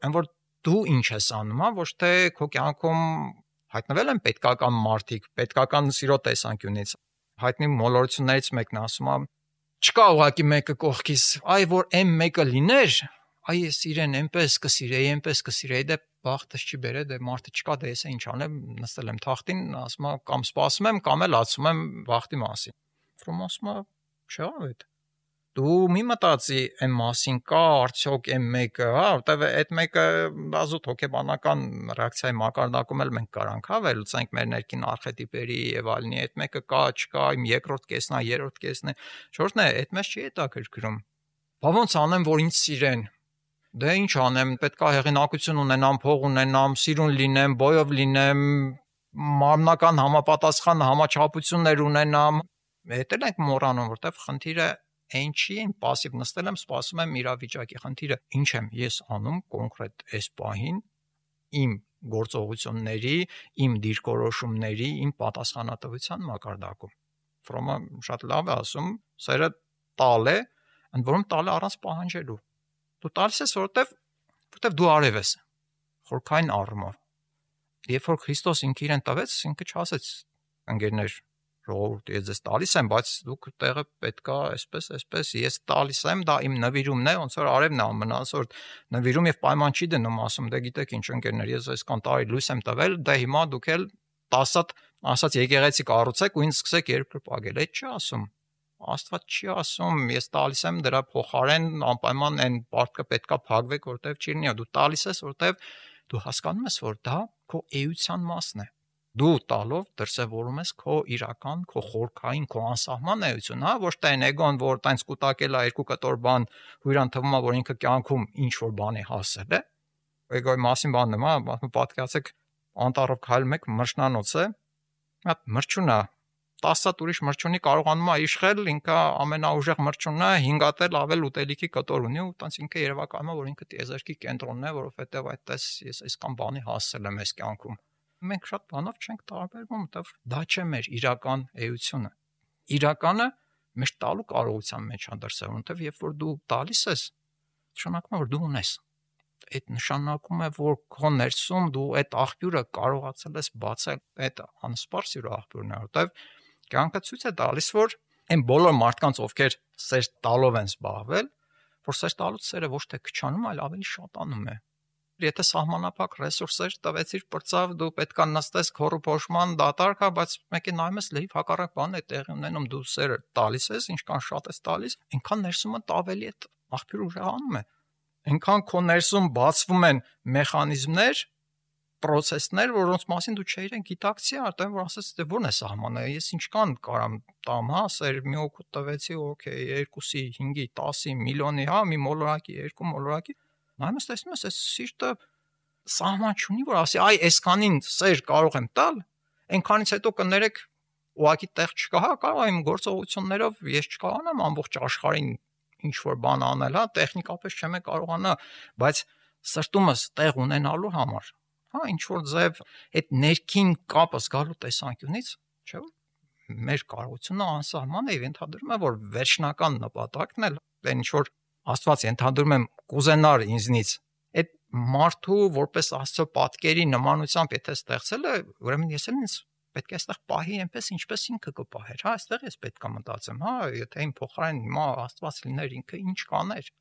Այն որ դու ինչ ես անում, հա, ոչ թե քո կյանքում հայտնվել են պետքական մարդիկ, պետքական սիրո տեսանկյունից։ Հայտնի մոլորություններից մեկն ասում է, չկա ուղակի մեկը կողքից, այ որ այն մեկը լիներ, այ ես իրեն այնպես կսիրեի, այնպես կսիրեի, դե բախտս չի բերե, դե մարդը չկա, դե ես ինչ անեմ, նստել եմ թախտին, ասում է կամ սպասում եմ, կամ էլ ացում եմ բախտի մասին։ Ֆրոմը ասում է, չեղավ այդ։ Դու մի մտածի այն մասին կա արդյոք այն մեկը, հա, որտեվ այդ մեկը դազուտ հոգեբանական ռեակցիայի մակարդակում էլ մենք կարանք, հա, վերլուծենք մեր ներքին արխետիպերի եւ այլնի, այդ մեկը կա, չկա, իմ երկրորդ կեսն է, երրորդ կեսն է, չորրորդն է, այդ մեզ չի հետաքրքրում։ Բա ոնց անեմ, որ ինձ սիրեն։ Դե ինչ անեմ, պետքա հեղինակություն ունենամ, փող ունենամ, սիրուն լինեմ, բոյով լինեմ, մարմնական համապատասխան համաչափություններ ունենամ։ Հետ էլ ենք մոռանում, որտեվ խնդիրը այն չի, այն пассив նստել եմ, սպասում եմ իրավիճակի խնդիրը։ Ինչ եմ ես անում կոնկրետ այս պահին իմ գործողությունների, իմ դիրքորոշումների, իմ պատասխանատվության մակարդակում։ Ֆրոմը շատ լավ է ասում, սերը տալ է, ընդ որում տալ է առանց պահանջելու։ Դու տալիս ես, որովհետև որովհետև դու արև ես, խորքային առումով։ Երբ որ Քրիստոս ինքը իրեն տվեց, ինքը չասեց ընկերներ, ժողովուրդ, ես ձեզ տալիս եմ, բայց դուք տեղը պետքա այսպես, այսպես, ես տալիս եմ, դա իմ նվիրումն է, ոնց որ արևն է ամենասորտ նվիրում եւ պայման չի դնում, ասում, դե գիտեք ինչ ընկերներ, ես այսքան տարի լույս եմ տվել, դե հիմա դուք էլ տասը ասած եկեղեցի կառուցեք ու ինձ սկսեք երկրպագել, այդ չի ասում։ Աստված չի ասում, ես տալիս եմ դրա փոխարեն անպայման այն պարտքը պետքա փակվեք, որտեվ չի լինի, դու տալիս ես, որտեվ դու հասկանում ես, որ դա քո էության մասն է։ Դու տալով դրսևորում ես քո իրական, քո խորքային, քո անսահման էություն, հա, ոչ թե այն էգոն, որ տենց կուտակել է երկու կտոր բան, հույրան թվում է, որ ինքը կյանքում ինչ որ բան է հասել է։ Էգոյի մասին բանն եմ, հա, պատկերացեք անտառով քայլում եք, մրջնանոց է, հա, մրջուն է, տասը ուրիշ մրջունի կարողանում է իշխել, ինքը ամենաուժեղ մրջունն է, հինգ հատ էլ ավել ուտելիքի կտոր ունի ու տենց ինքը երևակայում է, որ ինքը տիեզերքի կենտրոնն է, որովհետև այդպես ես այսքան բանի հասել եմ այս կյանքում։ Մենք շատ բանով չենք տարբերվում, որտեղ դա չէ մեր իրական էությունը։ Իրականը մեր տալու կարողության մեջ է դրսևորվում, որտեղ երբ որ դու տալիս ես, նշանակում է, որ դու ունես։ Այդ նշանակում է, որ քո ներսում դու այդ աղբյուրը կարողացել ես բացել, այդ անսպար սիրո աղբյուրն է, որտեղ կյանքը ցույց է տալիս, որ այն բոլոր մարդկանց, ովքեր սեր տալով են զբաղվել, որ սեր տալուց սերը ոչ թե քչանում, այլ ավելի շատանում է։ Եթե սահմանափակ ռեսուրսեր տվեցիր պրծավ, դու պետքա նստես քորու փոշման դատարկ, բայց մեկը նայում ես լրիվ հակառակ բան է տեղի ունենում, դու սերը տալիս ես, ինչքան շատ ես տալիս, այնքան ներսումը ավելի այդ աղբյուրը ուժեղանում է։ Այնքան քո ներսում բացվում են մեխանիզմներ, process-ներ, որոնց մասին դու չէիր գիտակցի, արդեն որ ասես, դե ո՞րն է սահմանը, ես ինչքան կարամ տամ, հա, սեր մի օգուտ տվեցի, օքեյ, երկուսի, հինգի, տասի, միլիոնի, հա, մի մոլորակի, երկու մոլորակի նայում ես, տեսնում ես, այս սիրտը սահման չունի, որ ասի, այ այսքանին սեր կարող եմ տալ, այնքանից հետո կներեք ուղղակի տեղ չկա, հա, կարող եմ գործողություններով ես չկարողանամ ամբողջ աշխարհին ինչ որ բան անել, հա, տեխնիկապես չեմ կարողանա, բայց սրտումս տեղ ունենալու համար, հա, ինչ որ ձև այդ ներքին կապը զգալու տեսանկյունից, չէ՞ որ մեր կարողությունը անսահման է, ենթադրում է, որ վերջնական նպատակն էլ այն ինչ որ Աստված ենթադրում եմ կուզենար ինձնից այդ մարդու որպես Աստծո պատկերի նմանությամբ եթե ստեղծել է, ուրեմն ես էլ ինձ պետք է այստեղ պահի այնպես ինչպես ինքը կպահեր, հա, այստեղ ես պետք է մտածեմ, հա, եթե իմ փոխարեն հիմա Աստված լիներ, ինքը ինչ կաներ։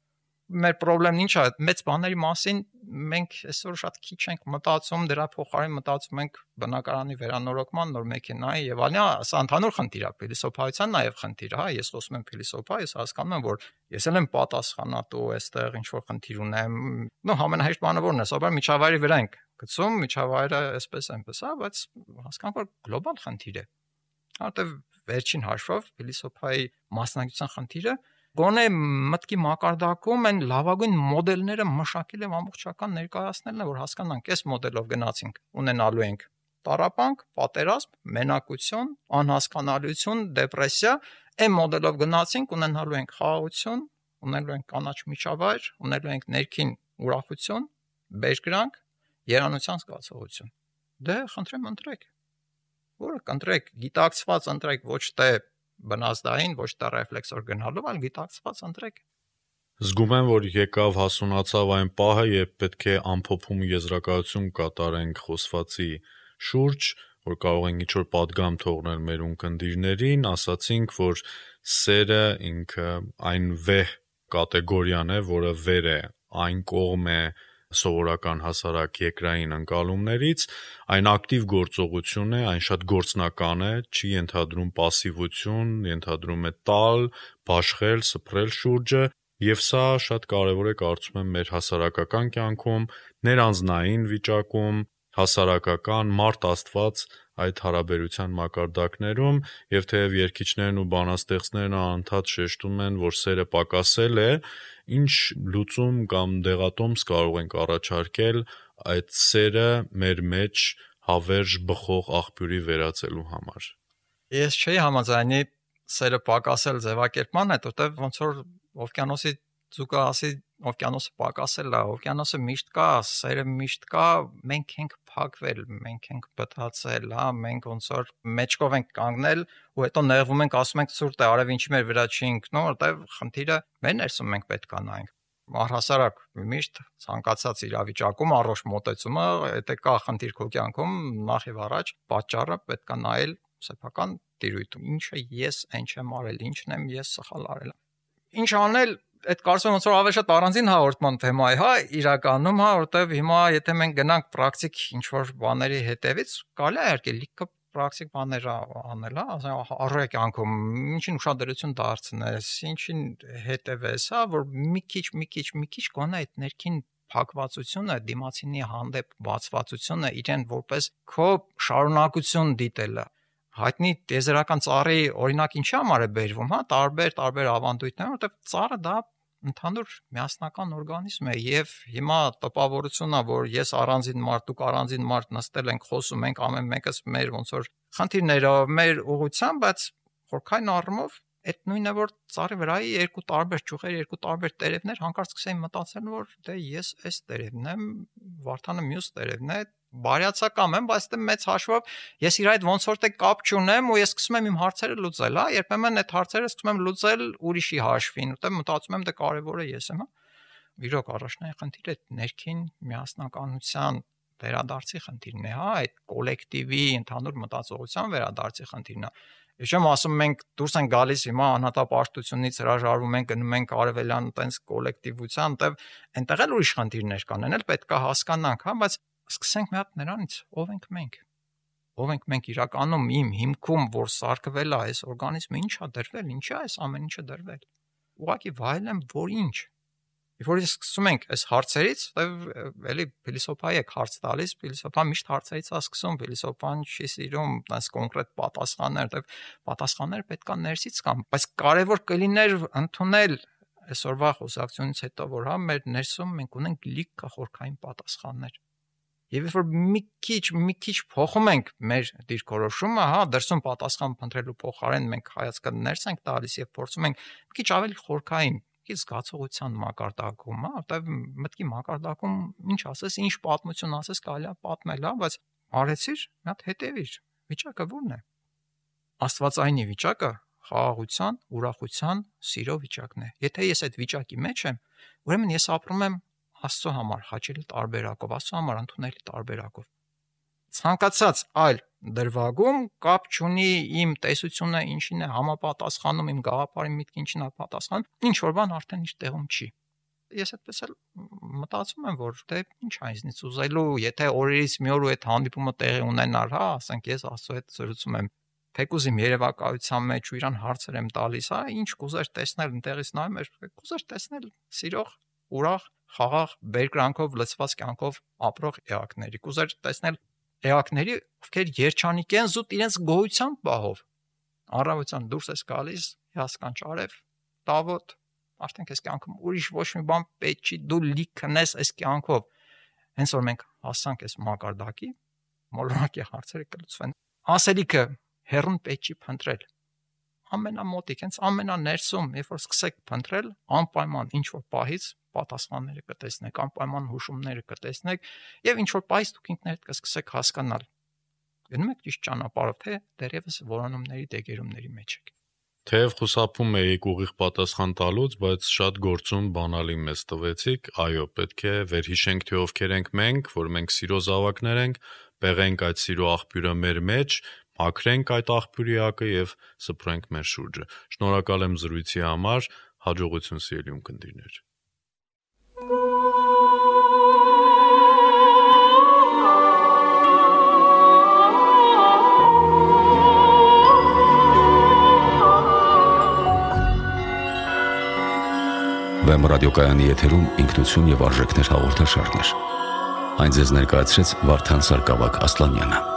Մեր խնդրեմն ինչ է, մեծ բաների մասին մենք այսօր շատ քիչ ենք մտածում, դրա փոխարեն մտածում ենք բնակարանի վերանորոգման, նոր մեքենայի եւ այլն, սա ընդհանուր խնդիր է, փիլիսոփայության նաեւ խնդիր է, հա, ես խոսում եմ փիլիսոփա, ես հասկանում եմ, որ ես էլ եմ պատասխանատու, այստեղ ինչ որ խնդիր ունեմ, նո ամենահեշտ բանը որն է, սովորաբար միջավայրի վրա ենք գցում, միջավայրը այսպես այնպես, հա, բայց հասկանանք, որ գլոբալ խնդիր է։ Որտեւ վերջին հաշվով փիլիսոփայի մասնագիտության խնդիրը գոնե մտքի մակարդակում են լավագույն մոդելները մշակել եւ ամբողջական ներկայացնելն է, որ հասկանանք, այս մոդելով գնացինք, ունենալու ենք տառապանք, պատերազմ, մենակություն, անհասկանալիություն, դեպրեսիա, այն մոդելով գնացինք, ունենալու ենք խաղաղություն, ունենալու ենք կանաչ միջավայր, ունենալու ենք ներքին ուրախություն, բերկրանք, երանության զգացողություն։ Դե խնդրեմ ընտրեք։ Որը կընտրեք, գիտակցված ընտրեք, ոչ թե բնազդային, ոչ թե ռեֆլեքսոր գնալով, այլ գիտակցված ընտրեք։ Զգում եմ, որ եկավ հասունացավ այն պահը, երբ պետք է ամփոփում եզրակացություն կատարենք խոսվածի շուրջ, որ կարող ենք ինչ-որ պատգամ թողնել մեր ունկնդիրներին, ասացինք, որ սերը ինքը այն վեհ կատեգորիան է, որը վեր է, այն կողմ է սովորական հասարակ երկրային ընկալումներից, այն ակտիվ գործողություն է, այն շատ գործնական է, չի ենթադրում пассивություն, ենթադրում է տալ, բաշխել, սփռել շուրջը, եւ սա շատ կարեւոր է կարծում եմ մեր հասարակական կյանքում, ներանձնային վիճակում, հասարակական մարդ Աստված այդ հարաբերության մակարդակներում եւ թեև երգիչներն ու բանաստեղծներն անընդհատ շեշտում են, որ սերը պակասել է, ինչ լուծում կամ դեղատոմս կարող ենք առաջարկել այդ սերը մեր մեջ հավերժ բխող աղբյուրի վերածելու համար։ Ես չէի համաձայնի սերը պակասել ձևակերպման հետ, որտեղ ոնց որ օվկիանոսի ձուկը ասի օվկիանոսը պակասել է, օվկիանոսը միշտ կա, սերը միշտ կա, մենք ենք փակվել, մենք ենք բթացել, հա, մենք ոնց որ մեջկով ենք կանգնել ու հետո նեղվում ենք, ասում ենք ցուրտ է, արև ինչի մեր վրա չի ընկնում, որտեղ խնդիրը մեր ներսում մենք պետք է նայենք։ Առհասարակ միշտ ցանկացած իրավիճակում առողջ մոտեցումը, եթե կա խնդիր քո կյանքում, նախ եւ առաջ պատճառը պետք է նայել սեփական տիրույթում, ինչը ես այն չեմ արել, ինչն եմ ես սխալ արել։ Ինչ անել, այդ կարծում եմ ոնց որ ավելի շատ առանձին հաղորդման թեմա է, հա, իրականում, հա, որտեվ հիմա եթե մենք գնանք պրակտիկ ինչ որ բաների հետևից, կարելի է իհարկե լիքը պրակտիկ բաներ անել, հա, առօրյա կյանքում ինչին ուշադրություն դարձնես, ինչին հետևես, հա, որ մի քիչ, մի քիչ, մի քիչ գոնե այդ ներքին փակվածությունը, դիմացինի հանդեպ բացվածությունը իրեն որպես քո շարունակություն դիտելը հայտնի տեզերական ծառի օրինակ ինչի համար է բերվում, հա, տարբեր տարբեր ավանդույթներ, որտեղ ծառը դա ընդհանուր միասնական օրգանիզմ է եւ հիմա տպավորությունն է, որ ես առանձին մարդ, դուք առանձին մարդ նստել ենք, խոսում ենք ամեն մեկս մեր ոնց որ խնդիրներով, մեր ուղղությամբ, բայց խորքային առումով այդ նույնը որ ծառի վրայի երկու տարբեր ճյուղեր, երկու տարբեր տերևներ հանկարծ սկսեին մտածել, որ դե ես այս տերևն եմ, Վարդանը մյուս տերևն է, բարյացակամ եմ, բայց դե մեծ հաշվով ես իր այդ ոնց որ թե կապ չունեմ ու ես սկսում եմ իմ հարցերը լուծել, հա, երբեմն այդ հարցերը սկսում եմ լուծել ուրիշի հաշվին, ուտեմ մտածում եմ դե կարևորը ես եմ, հա։ Իրոք առաջնային խնդիրը այդ ներքին միասնականության վերադարձի խնդիրն է, հա, այդ կոլեկտիվի ընդհանուր մտածողության վերադարձի խնդիրն է։ Ես չեմ ասում մենք դուրս են գալիս հիմա անհատապաշտությունից հրաժարվում ենք, գնում ենք արևելյան տենց կոլեկտիվության, այնտեղ այնտեղ էլ ուրիշ խնդիրներ կան, այն էլ պետք է հասկանանք, հա, բայց սկսենք մի հատ նրանից, ով ենք մենք։ Ով ենք մենք իրականում իմ հիմքում, որ սարքվել է այս օրգանիզմը, ի՞նչ է դրվել, ի՞նչ է այս ամեն ինչը դրվել։ Ուղղակի վայելեմ, որ ինչ։ Երբ որ սկսում ենք այս հարցերից, էլի փիլիսոփայի եք հարց տալիս, փիլիսոփան միշտ հարցերից է սկսում, փիլիսոփան չի սիրում այս կոնկրետ պատասխաններ, դեռ պատասխանները պետքա ներսից կան, բայց կարևոր կլիներ ընդունել այսօրվա խոսակցությունից հետո, որ հա մեր ներսում մենք ունենք լիքը խորքային պատասխաններ։ Եվ երբ որ մի քիչ, մի քիչ փոխում ենք մեր դիրքորոշումը, հա, դրսում պատասխան փնտրելու փոխարեն մենք հայացքը ներս ենք տալիս եւ փորձում ենք մի քիչ ավելի խորքային Իսկ զգացողության մակարդակում, հա, որտեվ մտքի մակարդակում ինչ ասես, ինչ պատմություն ասես, կարելի է պատմել, հա, բայց արեցիր, մի հատ հետևիր, վիճակը ո՞րն է։ Աստվածայինի վիճակը խաղաղության, ուրախության, սիրո վիճակն է։ Եթե ես այդ վիճակի մեջ եմ, ուրեմն ես ապրում եմ Աստծո համար հաճելի տարբերակով, Աստծո համար ընդունելի տարբերակով։ Ցանկացած այլ դրվագում կապ չունի իմ տեսությունը ինչին է համապատասխանում, իմ գաղափարի միտքը ինչին է պատասխանում, ինչ որ բան արդեն իր տեղում չի։ Ես այդպես էլ մտածում եմ, որ դե ինչ է ինձնից ուզելու, եթե օրերից մի օր ու այդ հանդիպումը տեղի ունենար, հա, ասենք ես Աստծո հետ զրուցում եմ, թեկուզ իմ երևակայության մեջ ու իրան հարցեր եմ տալիս, հա, ինչ կուզեր տեսնել, ընտեղից նայում եմ, կուզեր տեսնել սիրող, ուրախ, խաղաղ, բերկրանքով լցված կյանքով ապրող էակների, կուզեր տեսնել էակների, ովքեր երջանիկ են զուտ իրենց գոյության պահով։ Առավոտյան դուրս ես գալիս, հիասքանչ արև, տավոտ, արդեն քեզ կյանքում ուրիշ ոչ մի բան պետք չի, դու լիքնես այս կյանքով։ Հենց որ մենք հասանք այս մակարդակի, մոլորակի հարցերը կլուծվեն։ Ասելիքը հերուն պետք չի փնտրել։ Ամենամոտիկ, հենց ամենաներսում, երբ որ սկսեք փնտրել, անպայման ինչ որ պահից պատասխանները կտեսնեք, անպայման հուշումները կտեսնեք եւ ինչ որ պայս դուք ինքներդ կսկսեք հասկանալ։ Գնում եք ճիշտ ճանապարհով, թե դեռևս որոնումների դեգերումների մեջ եք։ Թեև խուսափում էիք ուղիղ պատասխան տալուց, բայց շատ գործում բանալի մեզ տվեցիք, այո, պետք է վերհիշենք, թե ովքեր ենք մենք, որ մենք սիրո զավակներ ենք, պեղենք այդ սիրո աղբյուրը մեր մեջ, մաքրենք այդ աղբյուրի ակը եւ սփռենք մեր շուրջը։ Շնորհակալ եմ զրույցի համար, հաջողություն սիրելի ունկնդիրներ։ Վեմ ռադիոկայանի եթերում ինքնություն եւ արժեքներ հաղորդաշարներ։ Այն ձեզ ներկայացրեց Վարդան Սարգսակ Ասլանյանը։